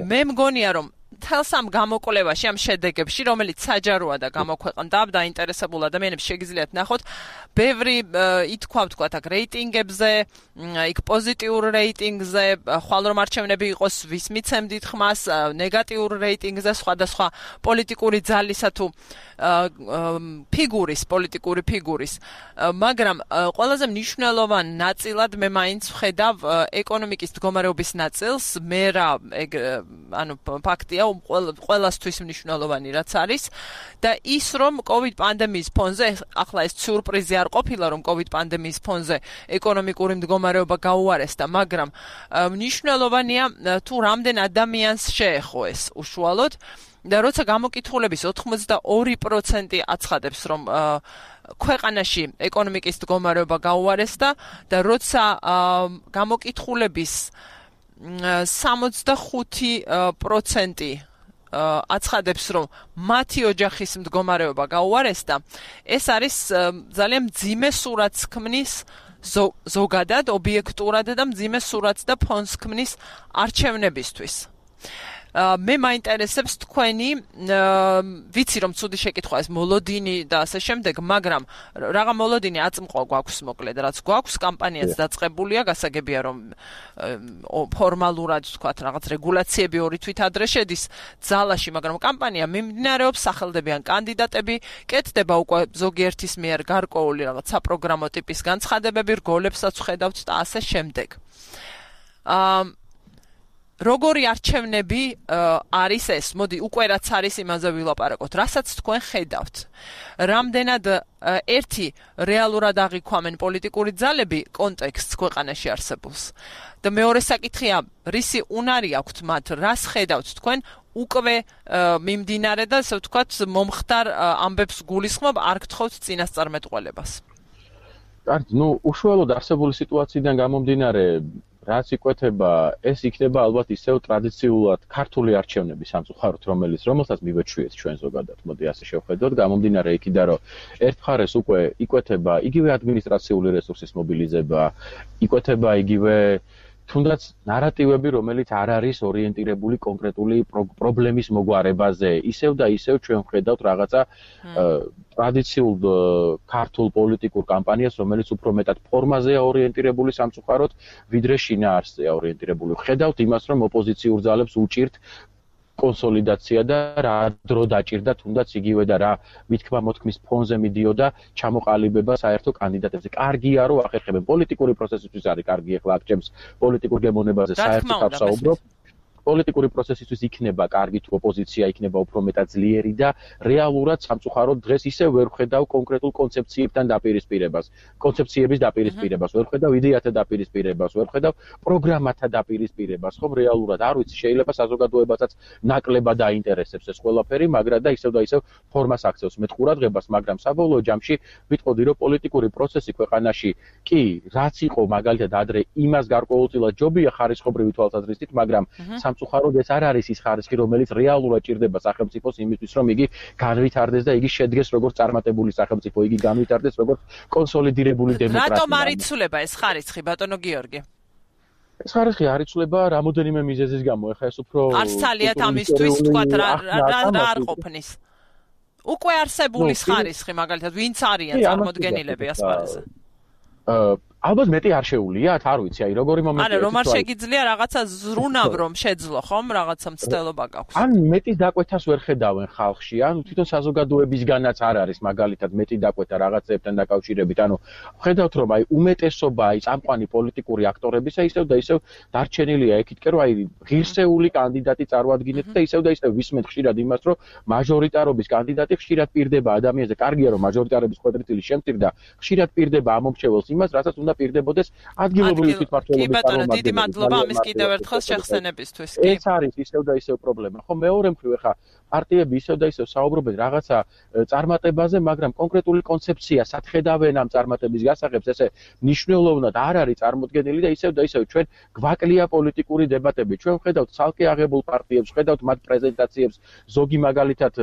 მე მგონია რომ თელს ამ გამოკვლევაში ამ შედეგებში რომელიც საჯაროა და გამოქვეყნდა დაინტერესებულ ადამიანებს შეგიძლიათ ნახოთ ბევრი ითქვა ვთქვათ აქ რეიტინგებზე იქ პოზიტიურ რეიტინგზე ხვალ რომ არჩევნები იყოს ვის მიცემდით ხმას ნეგატიურ რეიტინგზე სხვადასხვა პოლიტიკური ძალისა თუ პოლიტიკური ფიგურის მაგრამ ყველაზე მნიშვნელოვან ნაწილად მე მაინც ვხედავ ეკონომიკის მდგომარეობის ნაწილს მე რა ანუ ფაქტია ყველასთვის მნიშვნელოვანი რაც არის და ის რომ COVID პანდემიის ფონზე ახლა ეს სიურპრიზი არ ყოფილა რომ COVID პანდემიის ფონზე ეკონომიკური მდგომარეობა გაუარესდა მაგრამ მნიშვნელოვანია თუ რამდენ ადამიანს შეეხო ეს უშუალოდ და როცა გამოკითხულების 82% აცხადებს რომ ქვეყანაში ეკონომიკის მდგომარეობა გაუარესდა და როცა გამოკითხულების 65% აცხადებს რომ მათი ოჯახის მდგომარეობა გაუარესდა ეს არის ძალიან მძიმე სურათს ქმნის ზოგადად ობიექტურად და მძიმე სურათს და ფონს ქმნის არჩევნებისთვის მე მაინტერესებს თქვენი ვიცი რომ ცუდი შეკითხვა ეს მოლოდინი და ასე შემდეგ მაგრამ რაღა მოლოდინი აწმყვა გვაქვს მოკლედ რაც გვაქვს კამპანიაც დაწყებულია გასაგებია რომ ფორმალურად თქვათ რაღაც რეგულაციები ორი თვით ადრე შედის ძალაში მაგრამ კამპანია მიმდინარეობს სახელდებიან კანდიდატები კეთდება უკვე ზოგიერთის მიერ გარკვეული რაღაც საპროგრამო ტიპის განცხადებები რგოლებსაც ხედავთ და ასე შემდეგ როგორი არჩევნები არის ეს? მოდი, უკვე რაც არის იმაზე ვილაპარაკოთ. რასაც თქვენ ხედავთ? რამდენად ერთი რეალურად აღიქვამენ პოლიტიკური ძალები კონტექსტს ქვეყანაში არსებულს? და მეორე საკითხია, რისი უნარი აქვთ მათ? რას ხედავთ თქვენ? უკვე მიმდინარე და ასე ვთქვათ, მომხდარ ამბებს გულისხმობ, არ გთხოვთ წინასწარმეტყველებას. კარგი, უშუალოდ არსებული სიტუაციიდან გამომდინარე რაც იკვეთება, ეს იქნება ალბათ ისევ ტრადიციულად ქართული არჩევნები სამწუხაროდ, რომელსაც მივეჩვიეთ ჩვენ ზოგადად. მოდი ასე შევხედოთ, გამომდინარე იქიდან, რომ ერთ მხარეს უკვე იკვეთება იგივე ადმინისტრაციული რესურსის მობილიზება, იკვეთება იგივე თუნდაც ნარატივები, რომელიც არ არის ორიენტირებული კონკრეტული პრობლემის მოგვარებაზე. ისევ და ისევ ჩვენ ვხედავთ რაღაცა ტრადიციულ ქართულ პოლიტიკურ კამპანიას, რომელიც უფრო მეტად ფორმაზეა ორიენტირებული სამწუხაროდ, ვიდრე შინაარსზეა ორიენტირებული. ვხედავთ იმას, რომ ოპოზიციურ ძალებს უჭირთ კონსოლიდაცია და რა დრო დაჭირდა თუნდაც იგივე და რა მithქმა მოთქმის ფონზე მიდიოდა ჩამოყალიბება საერთო კანდიდატებზე. კარგია რომ ახერხებენ პოლიტიკური პროცესისთვის არის კარგი ახლა აქ ჩემს პოლიტიკურ გემოვნებაზე საერთოდ ავსაუბრობ. პოლიტიკური პროცესისთვის იქნება კარგი თუ ოპოზიცია იქნება უფრო მეტად ძლიერი და რეალურად სამწუხაროდ დღეს ისევ ვერ ვხედავ კონკრეტულ კონცეფციებთან დაპირისპირებას, კონცეფციების დაპირისპირებას, ვერ ვხედავ იდეათა დაპირისპირებას, ვერ ვხედავ პროგრამათა დაპირისპირებას, ხომ რეალურად არ ვიცი, შეიძლება საზოგადოებასაც ნაკლებად დაინტერესებს ეს ყველაფერი, მაგრამ და ისევ ფორმას აქცევს მეტ ყურადღებას, მაგრამ საბოლოო ჯამში ვიტყოდი, რომ პოლიტიკური პროცესი ქვეყანაში კი, რაც იყო მაგალითად ადრე იმას გარკვეულწილად ჯობია ხარისხობრივი თვალსაზრისით, მაგრამ სამწუხაროდ ეს არ არის ის ხარისხი, რომელიც რეალურად ჭირდება სახელმწიფოს იმისთვის, რომ იგი განვითარდეს და იგი შედგეს როგორც წარმატებული სახელმწიფო, იგი განვითარდეს როგორც კონსოლიდირებული დემოკრატია. რატომ არ იცვლება ეს ხარისხი, ბატონო გიორგი? ეს ხარისხი არ იცვლება რამოდენიმე მიზეზის გამო. ეხლა ეს უფრო არც ძალიან ამისთვის თქვათ რა არ ყოფნის. უკვე არსებული ხარისხი, მაგალითად, ვინც არიან წარმოდგენილები ასპარეზზე? ალბათ მეტი არ შეუულიათ, არ ვიცი, აი როგორი მომენტია. არა, რომ არ შეგიძლია რაღაცა ზრუნავ რომ შეძლო, ხომ, რაღაცა მცდელობა გაქვს. ან მეტის დაკვეთას ვერ ხედავენ ხალხში, ან თვითონ საზოგადოებისგანაც არ არის მაგალითად მეტი დაკვეთა რაღაცებთან დაკავშირებით. ანუ ხედავთ რომ აი უმეტესობა აი წამყვანი პოლიტიკური აქტორებისა ისევ და ისევ დარჩენილია ეკითკე რომ აი ღირსეული კანდიდატი წარმოადგინეთ და ისევ და ისევ ვისმენთ ხშირად იმას რომ მაჟორიტარობის კანდიდატი ხშირად პირდება ადამიანზე. კარგია რომ მაჟორიტარების კვადრიტილი შემწირდა, ხშირად პირდება ამომრჩეველს იმას, რასაც უნდა პირდებოდეს ადგილობრივი თვითმმართველობის კი ბატონო, დიდი მადლობა ამის კიდევ ერთხელ შეხსენებისთვის. ეს არის ისევ და ისევ პრობლემა. ხო, მეორე მხრივ ეხა პარტიები ისევ და ისევ საუბრობენ რაღაცა წარმატებაზე, მაგრამ კონკრეტული კონცეფცია სათხედავენ ამ წარმატების გასაღებს, ესე მნიშვნელოვნად არ არის წარმოდგენილი და ისევ ჩვენ გვაკლია პოლიტიკური დებატები. ჩვენ ვხედავთ ცალკე აღებულ პარტიებს, ვხედავთ მათ პრეზენტაციებს, ზოგი მაგალითად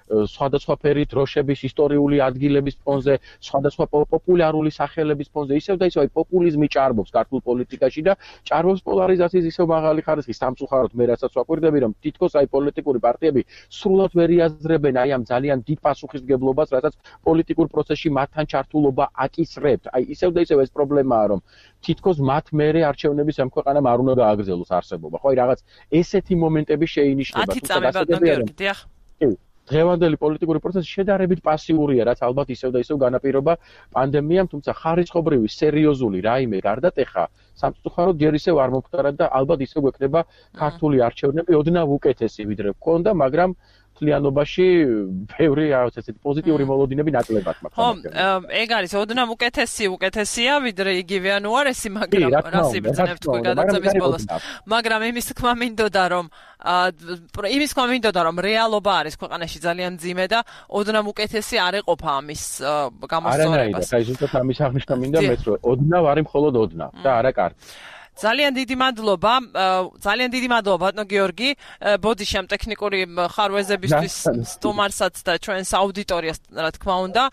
სხვადასხვა ფერით დროშების ისტორიული ადგილების ფონზე, სხვადასხვა პოპულარული სახელების ფონზე, ისევ და ისევ პოპულიზმი ჭარბობს ქართულ პოლიტიკაში და ჭარბობს პოლარიზაციის ისევ მაღალი ხარისხი. სამწუხაროდ მე რასაც ვაკვირდები, რომ თითქოს აი პოლიტიკური პარტიები სრულად ვერ იაზრებენ აი ამ ძალიან დიდ პასუხისმგებლობას, რასაც პოლიტიკურ პროცესში მათთან ჩართულობა აკისრებთ. აი ისევ და ისევ ეს პრობლემაა, რომ თითქოს მათ მერე არჩევნების ამ ქვეყანამ არ უნდა გააგრძელოს არსებობა. ხო, აი რაღაც ესეთი მომენტები შეინიშნება. 10 წამი ბატონო გიორგი, დიახ. დღევანდელი პოლიტიკური პროცესი შედარებით პასიურია, რაც ალბათ ისევ და ისევ განაპირობა პანდემიამ, თუმცა ხარისხობრივი სერიოზული რაიმე გარდატეხა სამწუხაროდ ჯერ ისევ არ მომხდარა და ალბათ ისევ გვექნება ქართული არჩევნები ოდნავ უკეთესი ვიდრე გქონდა, მაგრამ მთლიანობაში ბევრი რაღაც ესეთი პოზიტიური მოლოდინები ნაკლებად მაქვს. ხო, ეგ არის ოდნავ უკეთესია ვიდრე იგივე ან უარესი, მაგრამ რას იბრძნებთ თქვენ გადაცემის ბოლოს. მაგრამ იმის თქმა მინდოდა რომ რეალობა არის ქვეყანაში ძალიან მძიმე და ოდნავ უკეთესი არ ეყოფა ამის გამოსწორებას. არა, ზუსტად ამის აღნიშნა მინდა მეც რომ ოდნავ არის მხოლოდ ოდნავ და არა კარგი. ძალიან დიდი მადლობა ბატონო გიორგი, ბოდიში ამ ტექნიკური ხარვეზებისთვის სტუმარსაც და ჩვენს აუდიტორიას, რა თქმა უნდა.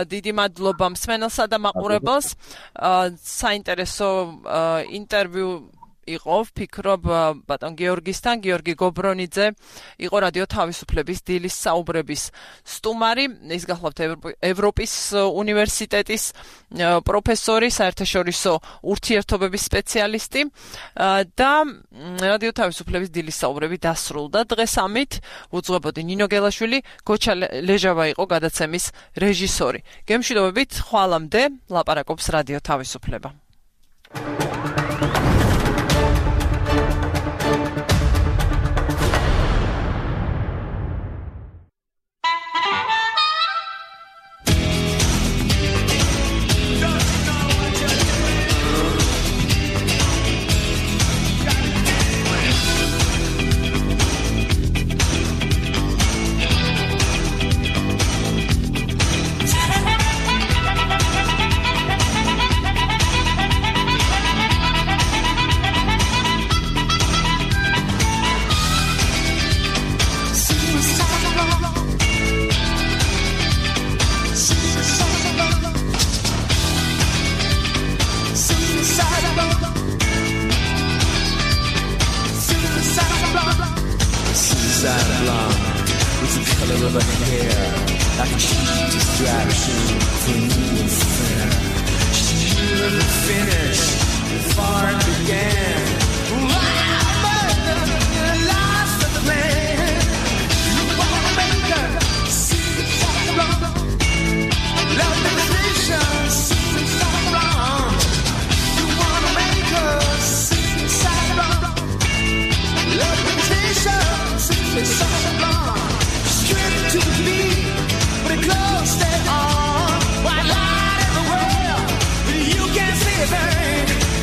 დიდი მადლობა მსმენელსა და მაყურებელს. საინტერესო ინტერვიუ იყო, ვფიქრობ, ბატონ გიორგისთან. გიორგი გობრონიძე იყო რადიო თავისუფლების დილის საუბრების სტუმარი. ის გახლავთ ევროპის უნივერსიტეტის პროფესორი, საერთაშორისო ურთიერთობების სპეციალისტი და რადიო თავისუფლების დილის საუბრები დასრულდა დღეს ამით. უძღვებოდი ნინო გელაშვილი, გოჩა ლეჟავა იყო გადაცემის რეჟისორი. გემშვიდობებით, ხვალამდე ლაპარაკობს რადიო თავისუფლება.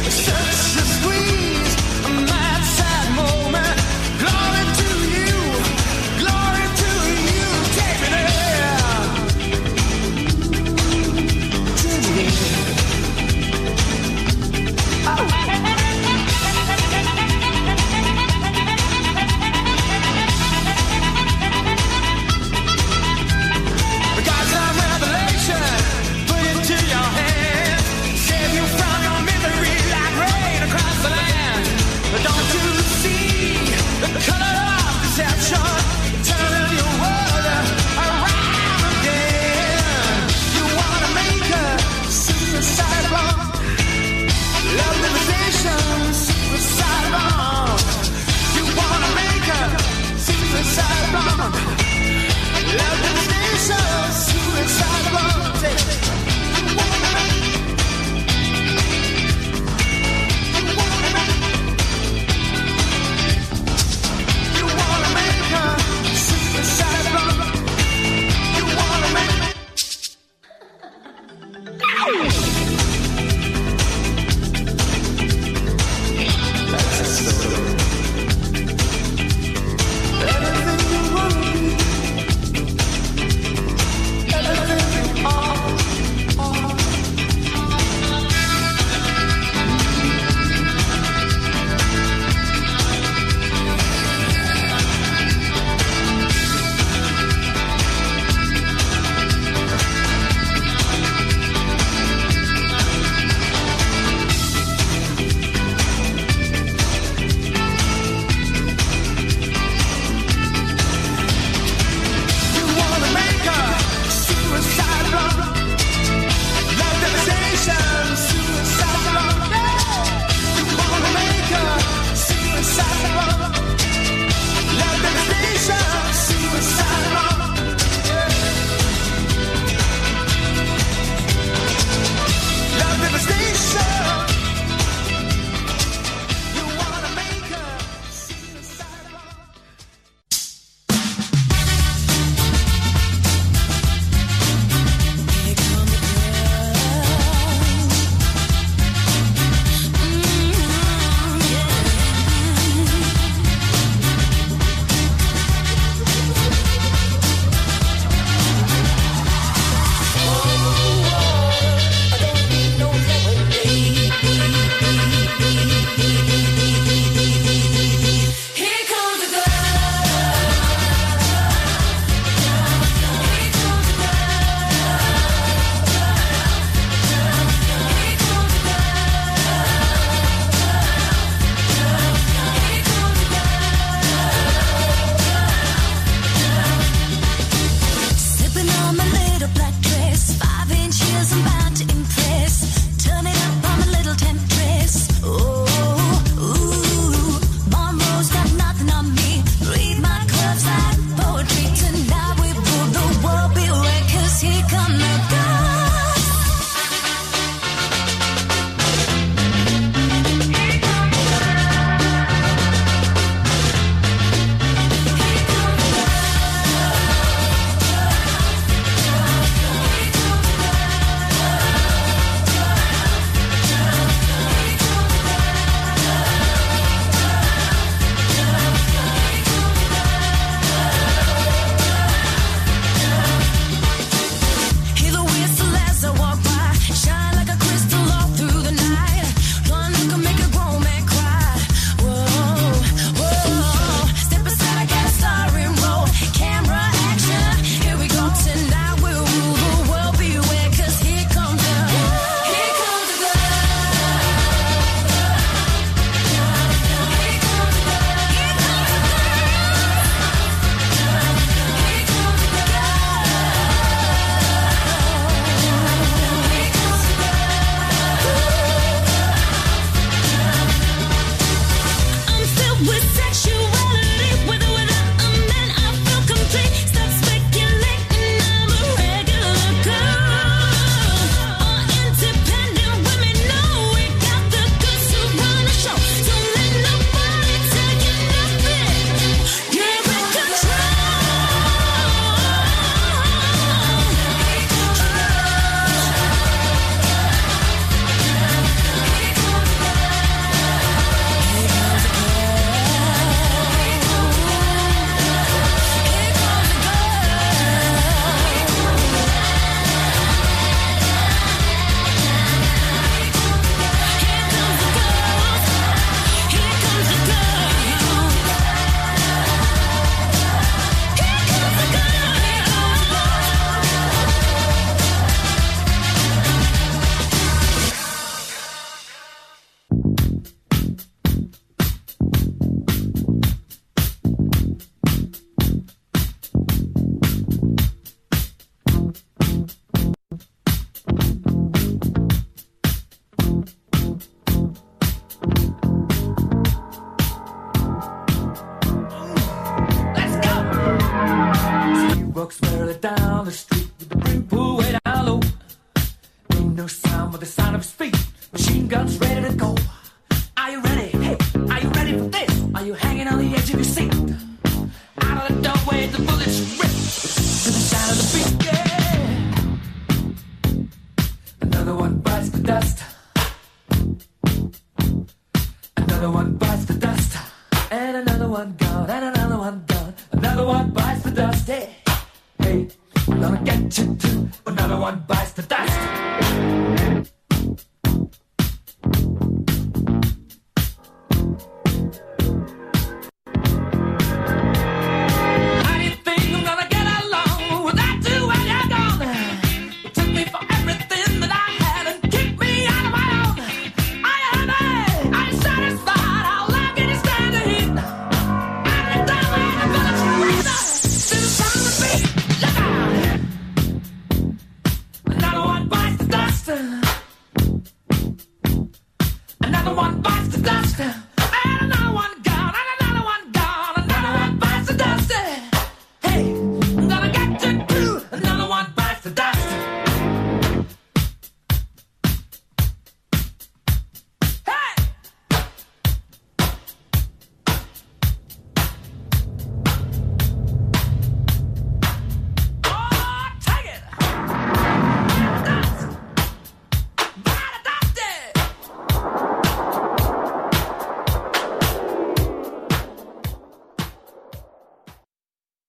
Such a squeeze. walks merrily down the street with the brim pulled way down low. Ain't no sound but the sound of his feet. Machine guns ready to go. Are you ready? Hey, are you ready for this? Are you hanging on the edge of your seat? Out of the doorway, the bullets rip to the sound of the beat. Yeah. Another one bites the dust. Another one bites the dust. And another one gone. And another one gone. Another one bites the dust. Hey, hey, I'm gonna get you too. Another one bites the dust.